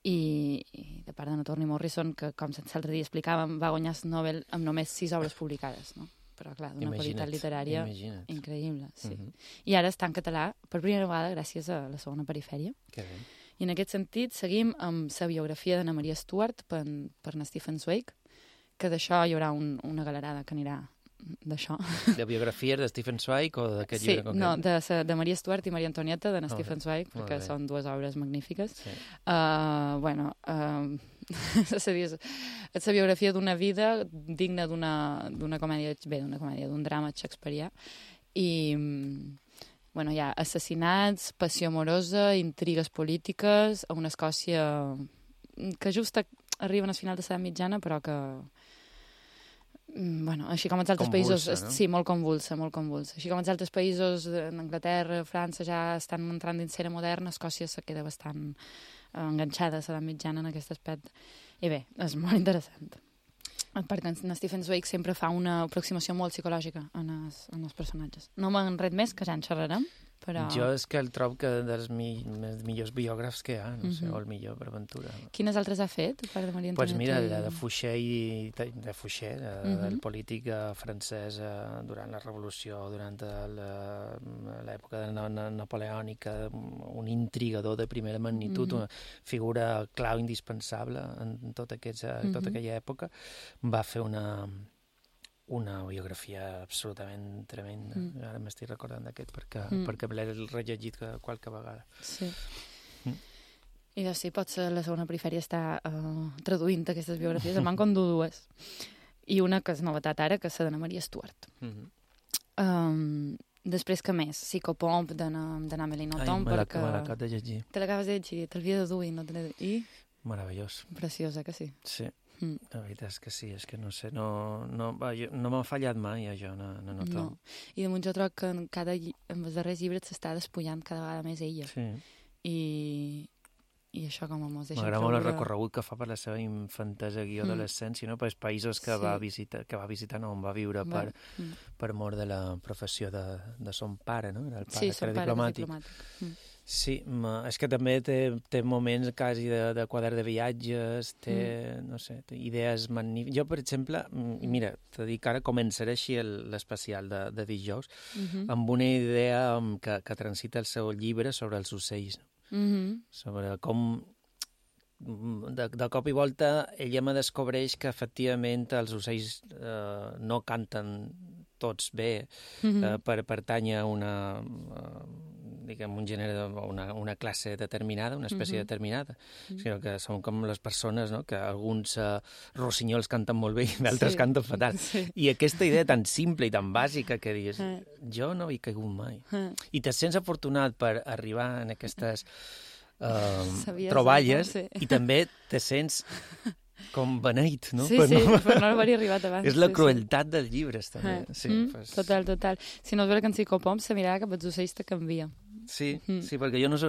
I de part de Toni Morrison, que com l'altre dia explicàvem, va guanyar el Nobel amb només 6 obres publicades, no? Però clar, d'una qualitat literària increïble, sí. I ara està en català per primera vegada gràcies a la segona perifèria. I en aquest sentit seguim amb la biografia d'Anna Maria Stuart per Stephen Zweig, que d'això hi haurà una galerada que anirà d'això. De biografies de Stephen Zweig o d'aquest llibre concret? Sí, de Maria Stuart i Maria Antonieta, de Stephen Zweig, perquè són dues obres magnífiques. És la biografia d'una vida digna d'una comèdia, d'un drama shakespearià, i hi ha assassinats, passió amorosa, intrigues polítiques, a una Escòcia que just arriben al final de l'edat mitjana, però que així com els altres països... Sí, molt convulsa. Així com els altres països d'Anglaterra, França, ja estan entrant dins l'era moderna, Escòcia se queda bastant enganxada a l'edat mitjana en aquest aspecte. I bé, és molt interessant. Perquè en Stephen Zweig sempre fa una aproximació molt psicològica en els personatges. No me'n ret més, que ja en xerrarem, però... Jo és que el trobo que dels millors biògrafs que hi ha, no sé, o el millor per aventura. Quines altres ha fet, a part de Maria Antonieta? Doncs mira, la de Fouché, del polític francès durant la Revolució, durant l'època napoleònica, un intrigador de primera magnitud, una figura clau indispensable en tota aquella època, va fer una biografia absolutament tremenda. Ara m'estic recordant d'aquest perquè l'he rellegit qualque vegada. Sí. I doncs sí, potser la segona perifèria està traduint aquestes biografies. Em van condur dues. I una que és novetat ara, que és la d'Anna Maria Stuart. Després, que més? Psicopomp d'Amélie Nothomb. Me l'acabo de llegir. Te l'acabes de llegir, te l'havia de dur i no te l'he de... I? Meravellós. Preciosa, que sí? Sí, la veritat és que sí, és que no sé, no m'ha fallat mai això, no Nothomb. No, i damunt jo trobo que en els darrers llibres s'està despullant cada vegada més ella. Sí. I això com a mos deixa... M'agrada molt el recorregut que fa per la seva infantesa i adolescència, no? Pels països que va visitar, on va viure per mort de la professió de son pare, no? Era el pare, que era diplomàtic. Sí, és que també té moments quasi de quadern de viatges, té, no sé, té idees magnífiques. Jo, per exemple, mira, t'he dit que ara començaré així l'especial de dijous, amb una idea que transita el seu llibre sobre els ocells, sobre com de cop i volta ella me descobreix que efectivament els ocells no canten tots bé per pertànyer a un gènere, una classe determinada, una espècie determinada, sinó que són com les persones, no? Que alguns rossinyols canten molt bé i d'altres canten fatal. I aquesta idea tan simple i tan bàsica que dius, jo no hi he caigut mai. I te sents afortunat per arribar en aquestes troballes i també te sents com beneït, no? Sí, per no haver-hi arribat abans. És la crueltat dels llibres, també. Total. Si no es veu que en Psicopomp se mirava cap als ocells te canvia. Sí, perquè jo no és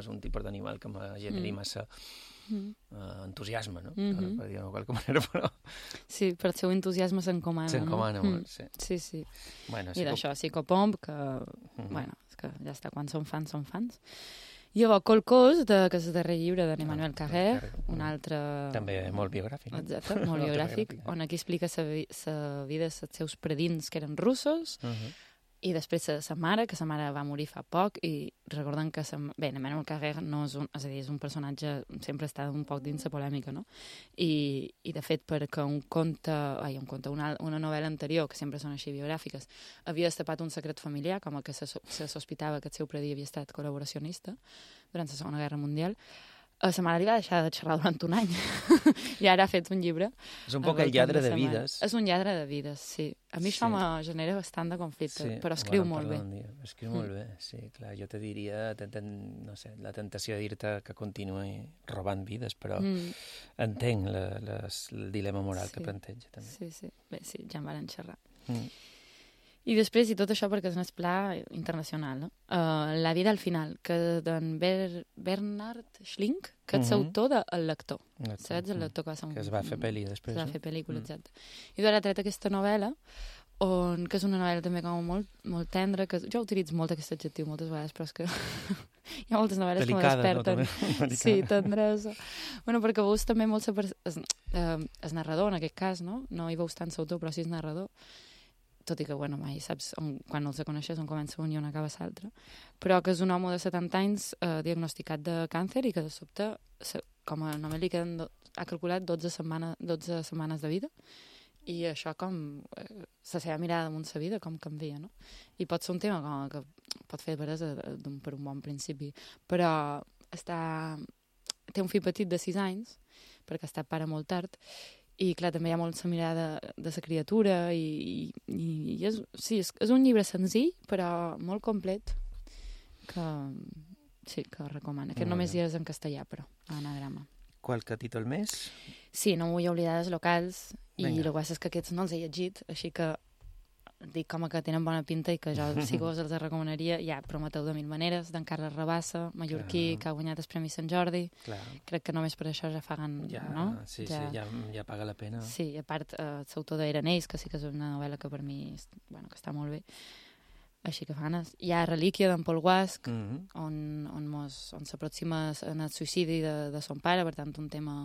un tipus d'animal que me generi massa entusiasme, no? Per dir-ho de qualque manera, però... Sí, per el seu entusiasme s'encomana, no? S'encomana molt, sí. Sí. I d'això, Psicopomp, que, bueno, és que ja està, quan són fans, són fans. Llavors, Colcós, que és el darrer llibre d'Emmanuel Carrère, un altre... També molt biogràfic. Exacte, molt biogràfic, on aquí explica la vida dels seus predins, que eren russos, i després sa mare, que sa mare va morir fa poc, i recorden que... Emmanuel Carrère no és és un personatge, sempre està un poc dins la polèmica, no? I de fet, perquè una novel·la anterior, que sempre són així biogràfiques, havia destapat un secret familiar, com que se sospitava que el seu predí havia estat col·laboracionista durant la Segona Guerra Mundial. Sa mare li va deixar de xerrar durant un any i ara ha fet un llibre. És un poc el lladre de vides. És un lladre de vides, sí. A mi això me genera bastant de conflicte, però escriu molt bé. Escriu molt bé, sí, clar. Jo te diria, no sé, la tentació de dir-te que continuï robant vides, però entenc el dilema moral que planteja, també. Sí. Bé, sí, ja en van xerrar. I després, i tot això perquè és un pla internacional, no? La vida al final, que d'en Bernhard Schlink, que és l'autor de El lector. Saps? El lector que es va fer pel·li després. Es va fer pel·lícula, exacte. I ara ha tret aquesta novel·la, que és una novel·la també com molt tendra, que jo utilitzo molt aquest adjectiu moltes vegades, però és que hi ha moltes novel·les que me desperten. Sí, tendresa. Bueno, perquè veus també molt el narrador, en aquest cas, no? No hi veus tant l'autor, però sí és narrador. Tot i que, bueno, mai saps quan els coneixes on comença un i on acaba l'altre, però que és un home de 70 anys diagnosticat de càncer i que de sobte, com a només li queden, ha calculat 12 setmanes de vida, i això com la seva mirada damunt la vida com canvia, no? I pot ser un tema que pot fer veres per un bon principi, però té un fill petit de 6 anys, perquè ha estat pare molt tard, i clar, també hi ha molt la mirada de la criatura i és un llibre senzill però molt complet que recomano, que només hi és en castellà, però a Anagrama. Qualque títol més? Sí, no vull oblidar els locals i el que passa és que aquests no els he llegit, així que dic com que tenen bona pinta i que jo si vos els recomanaria. Hi ha Prometeu de mil maneres, d'en Carles Rabassa, mallorquí, que ha guanyat el Premi Sant Jordi. Crec que només per això ja paguen, no? Sí, ja paga la pena. Sí, i a part, l'autor d'Erenells, que sí que és una novel·la que per mi que està molt bé. Així que fa ganes. Hi ha Relíquia d'en Paul Guasc, on s'aproxima en el suïcidi de son pare, per tant un tema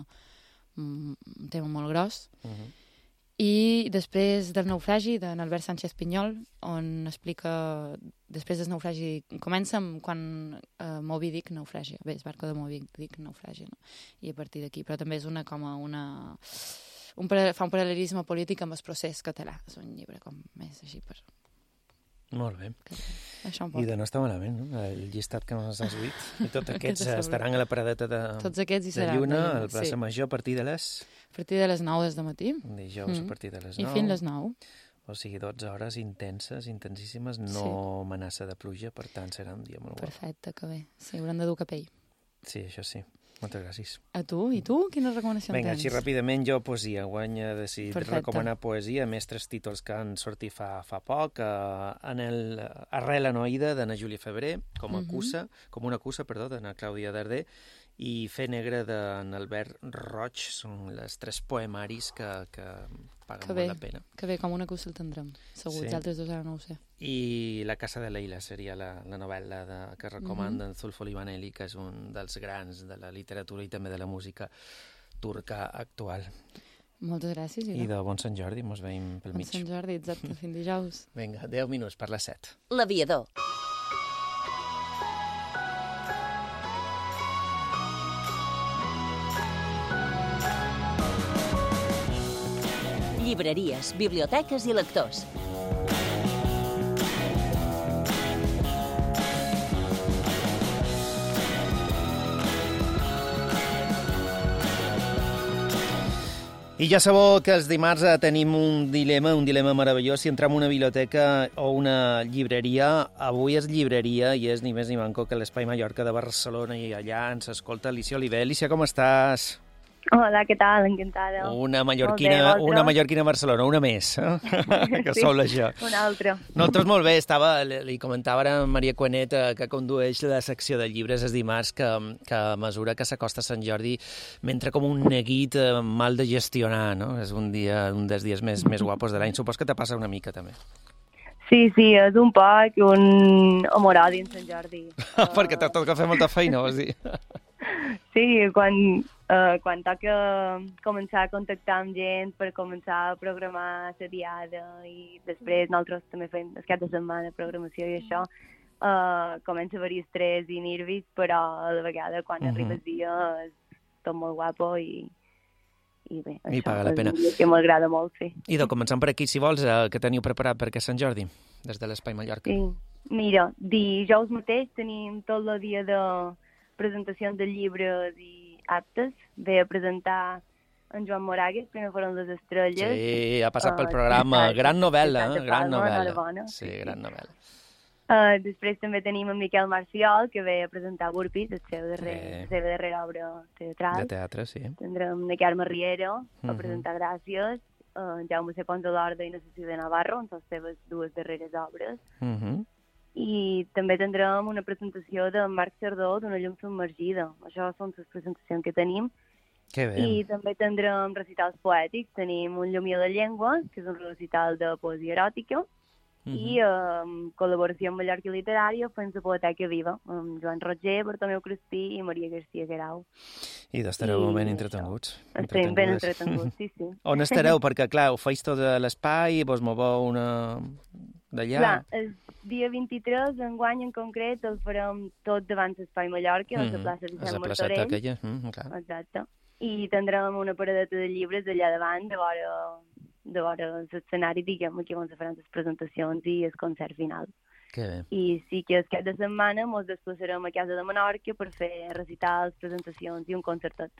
molt gros. I després del naufragi d'en Albert Sánchez Pinyol, on explica, després del naufragi, comença quan Moby Dick naufragia. Bé, el barco de Moby Dick naufragia, no? I a partir d'aquí, però també és fa un paral·lelisme polític amb el procés català. És un llibre com més així per Molt bé. Això un I de no està malament, no? El llistat que ens has dit. I tots aquests estaran a la paradeta de Lluna, al plaça Major, a partir de les... A partir de les 9 des de matí. Dijous a partir de les 9. I fins les 9. O sigui, 12 hores intenses, intensíssimes, no amenaça de pluja, per tant serà un dia molt guapo. Perfecte, que bé. Sí, haurem de dur capell. Sí, això sí. Moltes gràcies. A tu? I tu? Quines recomanacions tens? Vinga, així ràpidament jo poesia. Guany he decidit recomanar poesia, més 3 títols que han sortit fa poc. Arrel Anoïda, d'Anna Júlia Febrer, com una cussa, d'Anna Clàudia Darder, i Fe negra d'en Albert Roig. Són les 3 poemaris que paguen molt la pena. Que bé, com una cussa el tindrem. Segur, els altres dos ara no ho sé. I La casa de Leila seria la novel·la que recomana en Zulfo Livaneli, que és un dels grans de la literatura i també de la música turca actual. Moltes gràcies. I de bon Sant Jordi, mos veiem pel mig. Bon Sant Jordi, exacte, fins dijous. Vinga, 10 minuts per les 7. L'Aviador. Llibreries, biblioteques i lectors. I ja sabeu que els dimarts tenim un dilema meravellós. Si entrem a una biblioteca o una llibreria, avui és llibreria i és ni més ni manco que l'Espai Mallorca de Barcelona i allà ens escolta Alicia Oliver. Alicia, com estàs? Hola, què tal? Encantada. Una mallorquina a Barcelona, una més, que sí, sol això. Una altra. Nosaltres molt bé, li comentava ara a Maria Cuenet, que condueix la secció de llibres els dimarts, que a mesura que s'acosta Sant Jordi m'entra com un neguit mal de gestionar, no? És un dels dies més guapos de l'any. Supos que te passa una mica, també. Sí, és un poc un amor-odi en Sant Jordi. Perquè t'ha tocat fer molta feina, vols dir? Sí, quan toca començar a contactar amb gent per començar a programar la diada i després nosaltres també fem el cap de setmana programació i això, comença a haver-hi estrès i nervis, però a la vegada quan arriba el dia és tot molt guapo i bé, I paga la pena. Que m'agrada molt, sí. I començant per aquí, si vols, què teniu preparat per aquest Sant Jordi, des de l'Espai Mallorca? Sí, mira, dijous mateix tenim tot el dia de presentacions de llibres i actes. Ve a presentar en Joan Moragues, Primer foren les estrelles. Sí, ha passat pel programa. Gran novel·la, gran novel·la. Sí, gran novel·la. Després també tenim en Miquel Marciol, que ve a presentar Burpis, la seva darrera obra teatral. De teatre, sí. Tindrem en Carme Riero a presentar Gràcies, Jaume C. Pons de l'Orda i Necessita de Navarro, en les seves 2 darreres obres. I també tindrem una presentació de Marc Cerdó d'Una llum submergida. Això són les presentacions que tenim. Que bé. I també tindrem recitals poètics. Tenim Un llumí a la llengua, que és un recital de poesia eròtica, i col·laboració amb Mallorca Literària fent la Poeteca Viva, amb Joan Roger, Bartomeu Crespí i Maria García Guerau. I estareu ben entretenguts. Estem ben entretenguts, sí. On estareu? Perquè, clar, ho feis tot a l'espai i vos moveu d'allà. Clar, el dia 23, enguany en concret, el farem tot davant l'Espai Mallorca, a la plaça Vicent Martorell. Exacte. I tindrem una paradeta de llibres allà davant, de vora l'escenari, diguem, aquí on se faran les presentacions i el concert final. Que bé. I sí que el cap de setmana ens desplaçarem a Casa de Menorca per fer recitals, presentacions i un concertet.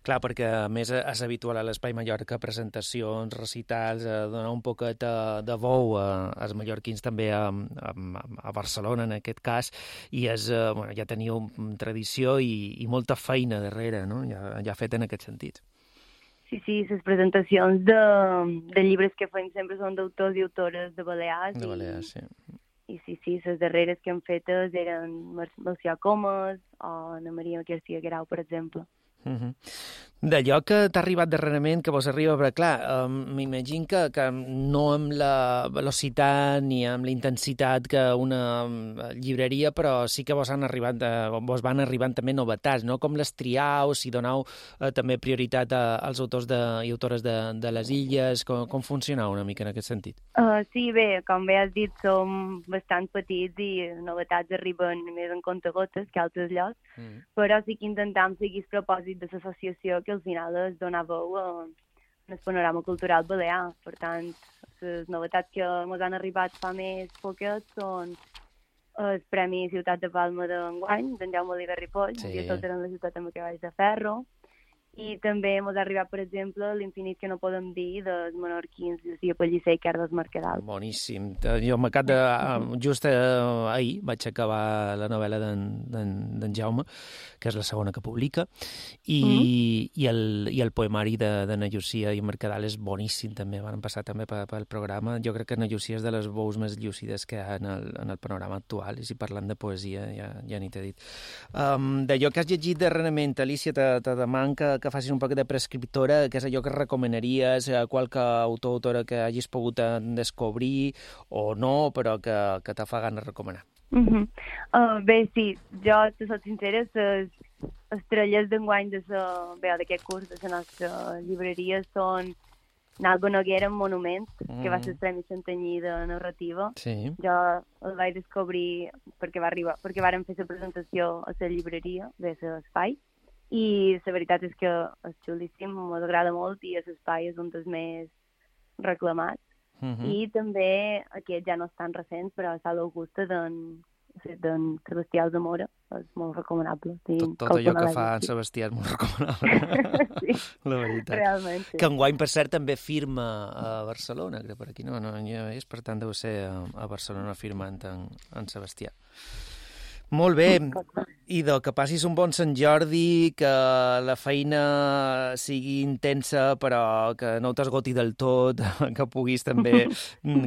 Clar, perquè a més és habitual a l'Espai Mallorca presentacions, recitals, donar un poquet de veu als mallorquins també a Barcelona en aquest cas, i ja teniu tradició i molta feina darrere, no? Ja fet en aquest sentit. Sí, les presentacions de llibres que fem sempre són d'autors i autores de Balears. De Balears, sí. I sí, les darreres que hem fetes eren Melcior Comas o Ana Maria García Guerau, per exemple. D'allò que t'ha arribat darrerament, que vos arriba, però clar, m'imagino que no amb la velocitat ni amb la intensitat que una llibreria, però sí que vos van arribant també novetats, no? Com les triau, si donau també prioritat als autors i autores de les illes, com funciona una mica en aquest sentit? Sí, bé, com bé has dit, som bastant petits i novetats arriben més en comptagotes que altres llocs, però sí que intentam seguir el propòsit de l'associació, que al final és donar veu a el panorama cultural balear. Per tant, les novetats que ens han arribat fa més poquet són el Premi Ciutat de Palma d'enguany, d'en Jaume Oliver Ripoll, i tot eren la ciutat amb cavalls de ferro. I també ens ha arribat, per exemple, L'infinit que no podem dir, dels menorquins Llucia Pellicer i Carles Mercadal. Boníssim. Jo m'acabo de... Just ahir vaig acabar la novel·la d'en Jaume, que és la segona que publica, i el poemari d'Anna Llucia i Mercadal és boníssim, també. Van passar també pel programa. Jo crec que Anna Llucia és de les veus més llúcides que hi ha en el panorama actual, i si parlant de poesia ja ni t'he dit. D'allò que has llegit darrerament, Alicia, te deman que facis un poc de prescriptora, que és allò que recomanaries a qualque autor o autora que hagis pogut descobrir o no, però que te fa gana recomanar. Bé, sí, jo, te soc sincera, les estrelles d'enguany d'aquest curs de la nostra llibreria són Nalgo Noguera en Monument, que va ser el Premi Santanyí de narrativa. Sí. Jo el vaig descobrir perquè vàrem fer la presentació a la llibreria de l'Espai, i la veritat és que és xulíssim, m'agrada molt, i l'Espai és un dels més reclamats. I també aquest ja no és tan recent, però Sala Augusta d'en Sebastià Alzamora és molt recomanable. Tot allò que fa en Sebastià és molt recomanable. Sí, la veritat. Realment, sí. Que enguany, per cert, també firma a Barcelona, que per aquí no hi és, per tant deu ser a Barcelona firmant en Sebastià. Molt bé, Ido, que passis un bon Sant Jordi, que la feina sigui intensa però que no t'esgoti del tot, que puguis també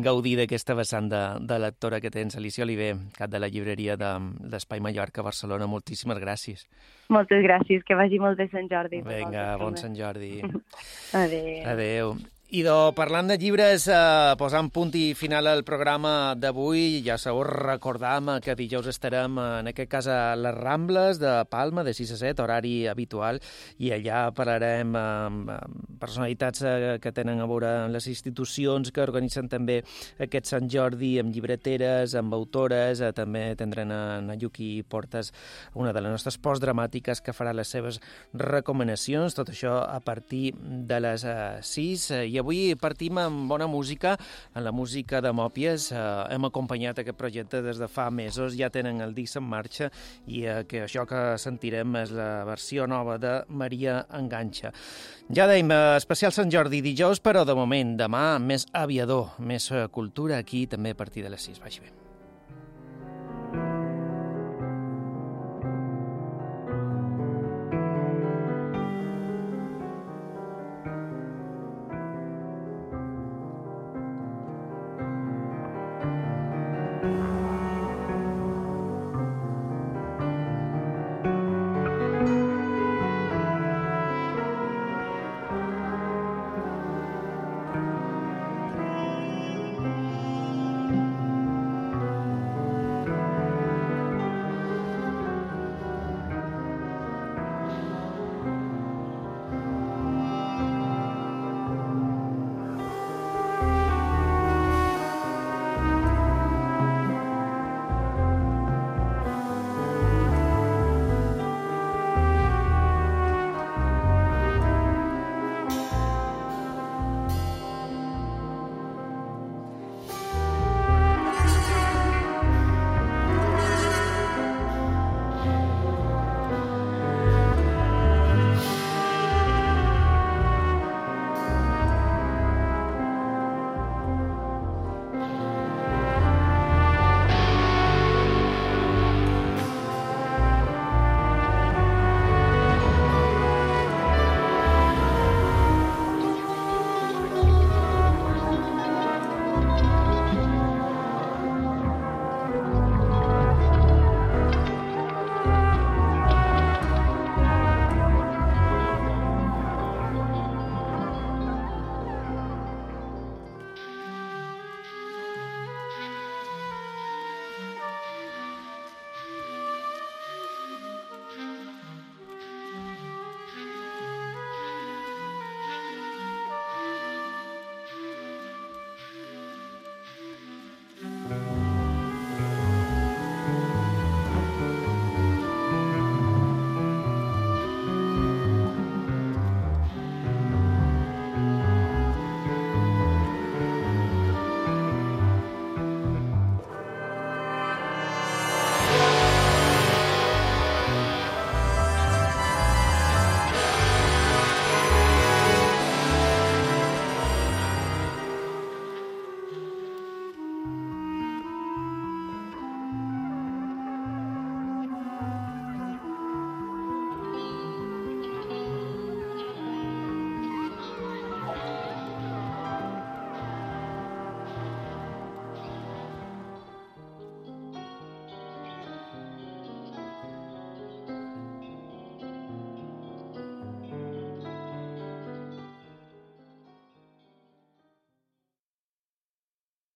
gaudir d'aquesta vessant de lectora que tens. Alicia Oliver, cap de la llibreria d'Espai Mallorca a Barcelona, moltíssimes gràcies. Moltes gràcies, que vagi molt bé Sant Jordi. Vinga, bon Sant Jordi. Adéu. Adéu. Idò, parlant de llibres, posant punt i final al programa d'avui, ja sabeu, recordam que dijous estarem, en aquest cas, a les Rambles de Palma, de 6 a 7, horari habitual, i allà parlarem amb personalitats que tenen a veure amb les institucions que organitzen també aquest Sant Jordi, amb llibreteres, amb autores, també tindran a Yuki Portas, una de les nostres postdramàtiques, que farà les seves recomanacions, tot això a partir de les 6, i avui partim amb bona música, en la música de Mòpies. Hem acompanyat aquest projecte des de fa mesos, ja tenen el disc en marxa, i que això que sentirem és la versió nova de Maria Enganxa. Ja dèiem, especial Sant Jordi dijous, però de moment, demà més aviador, més cultura aquí, també a partir de les 6. Vagi bé.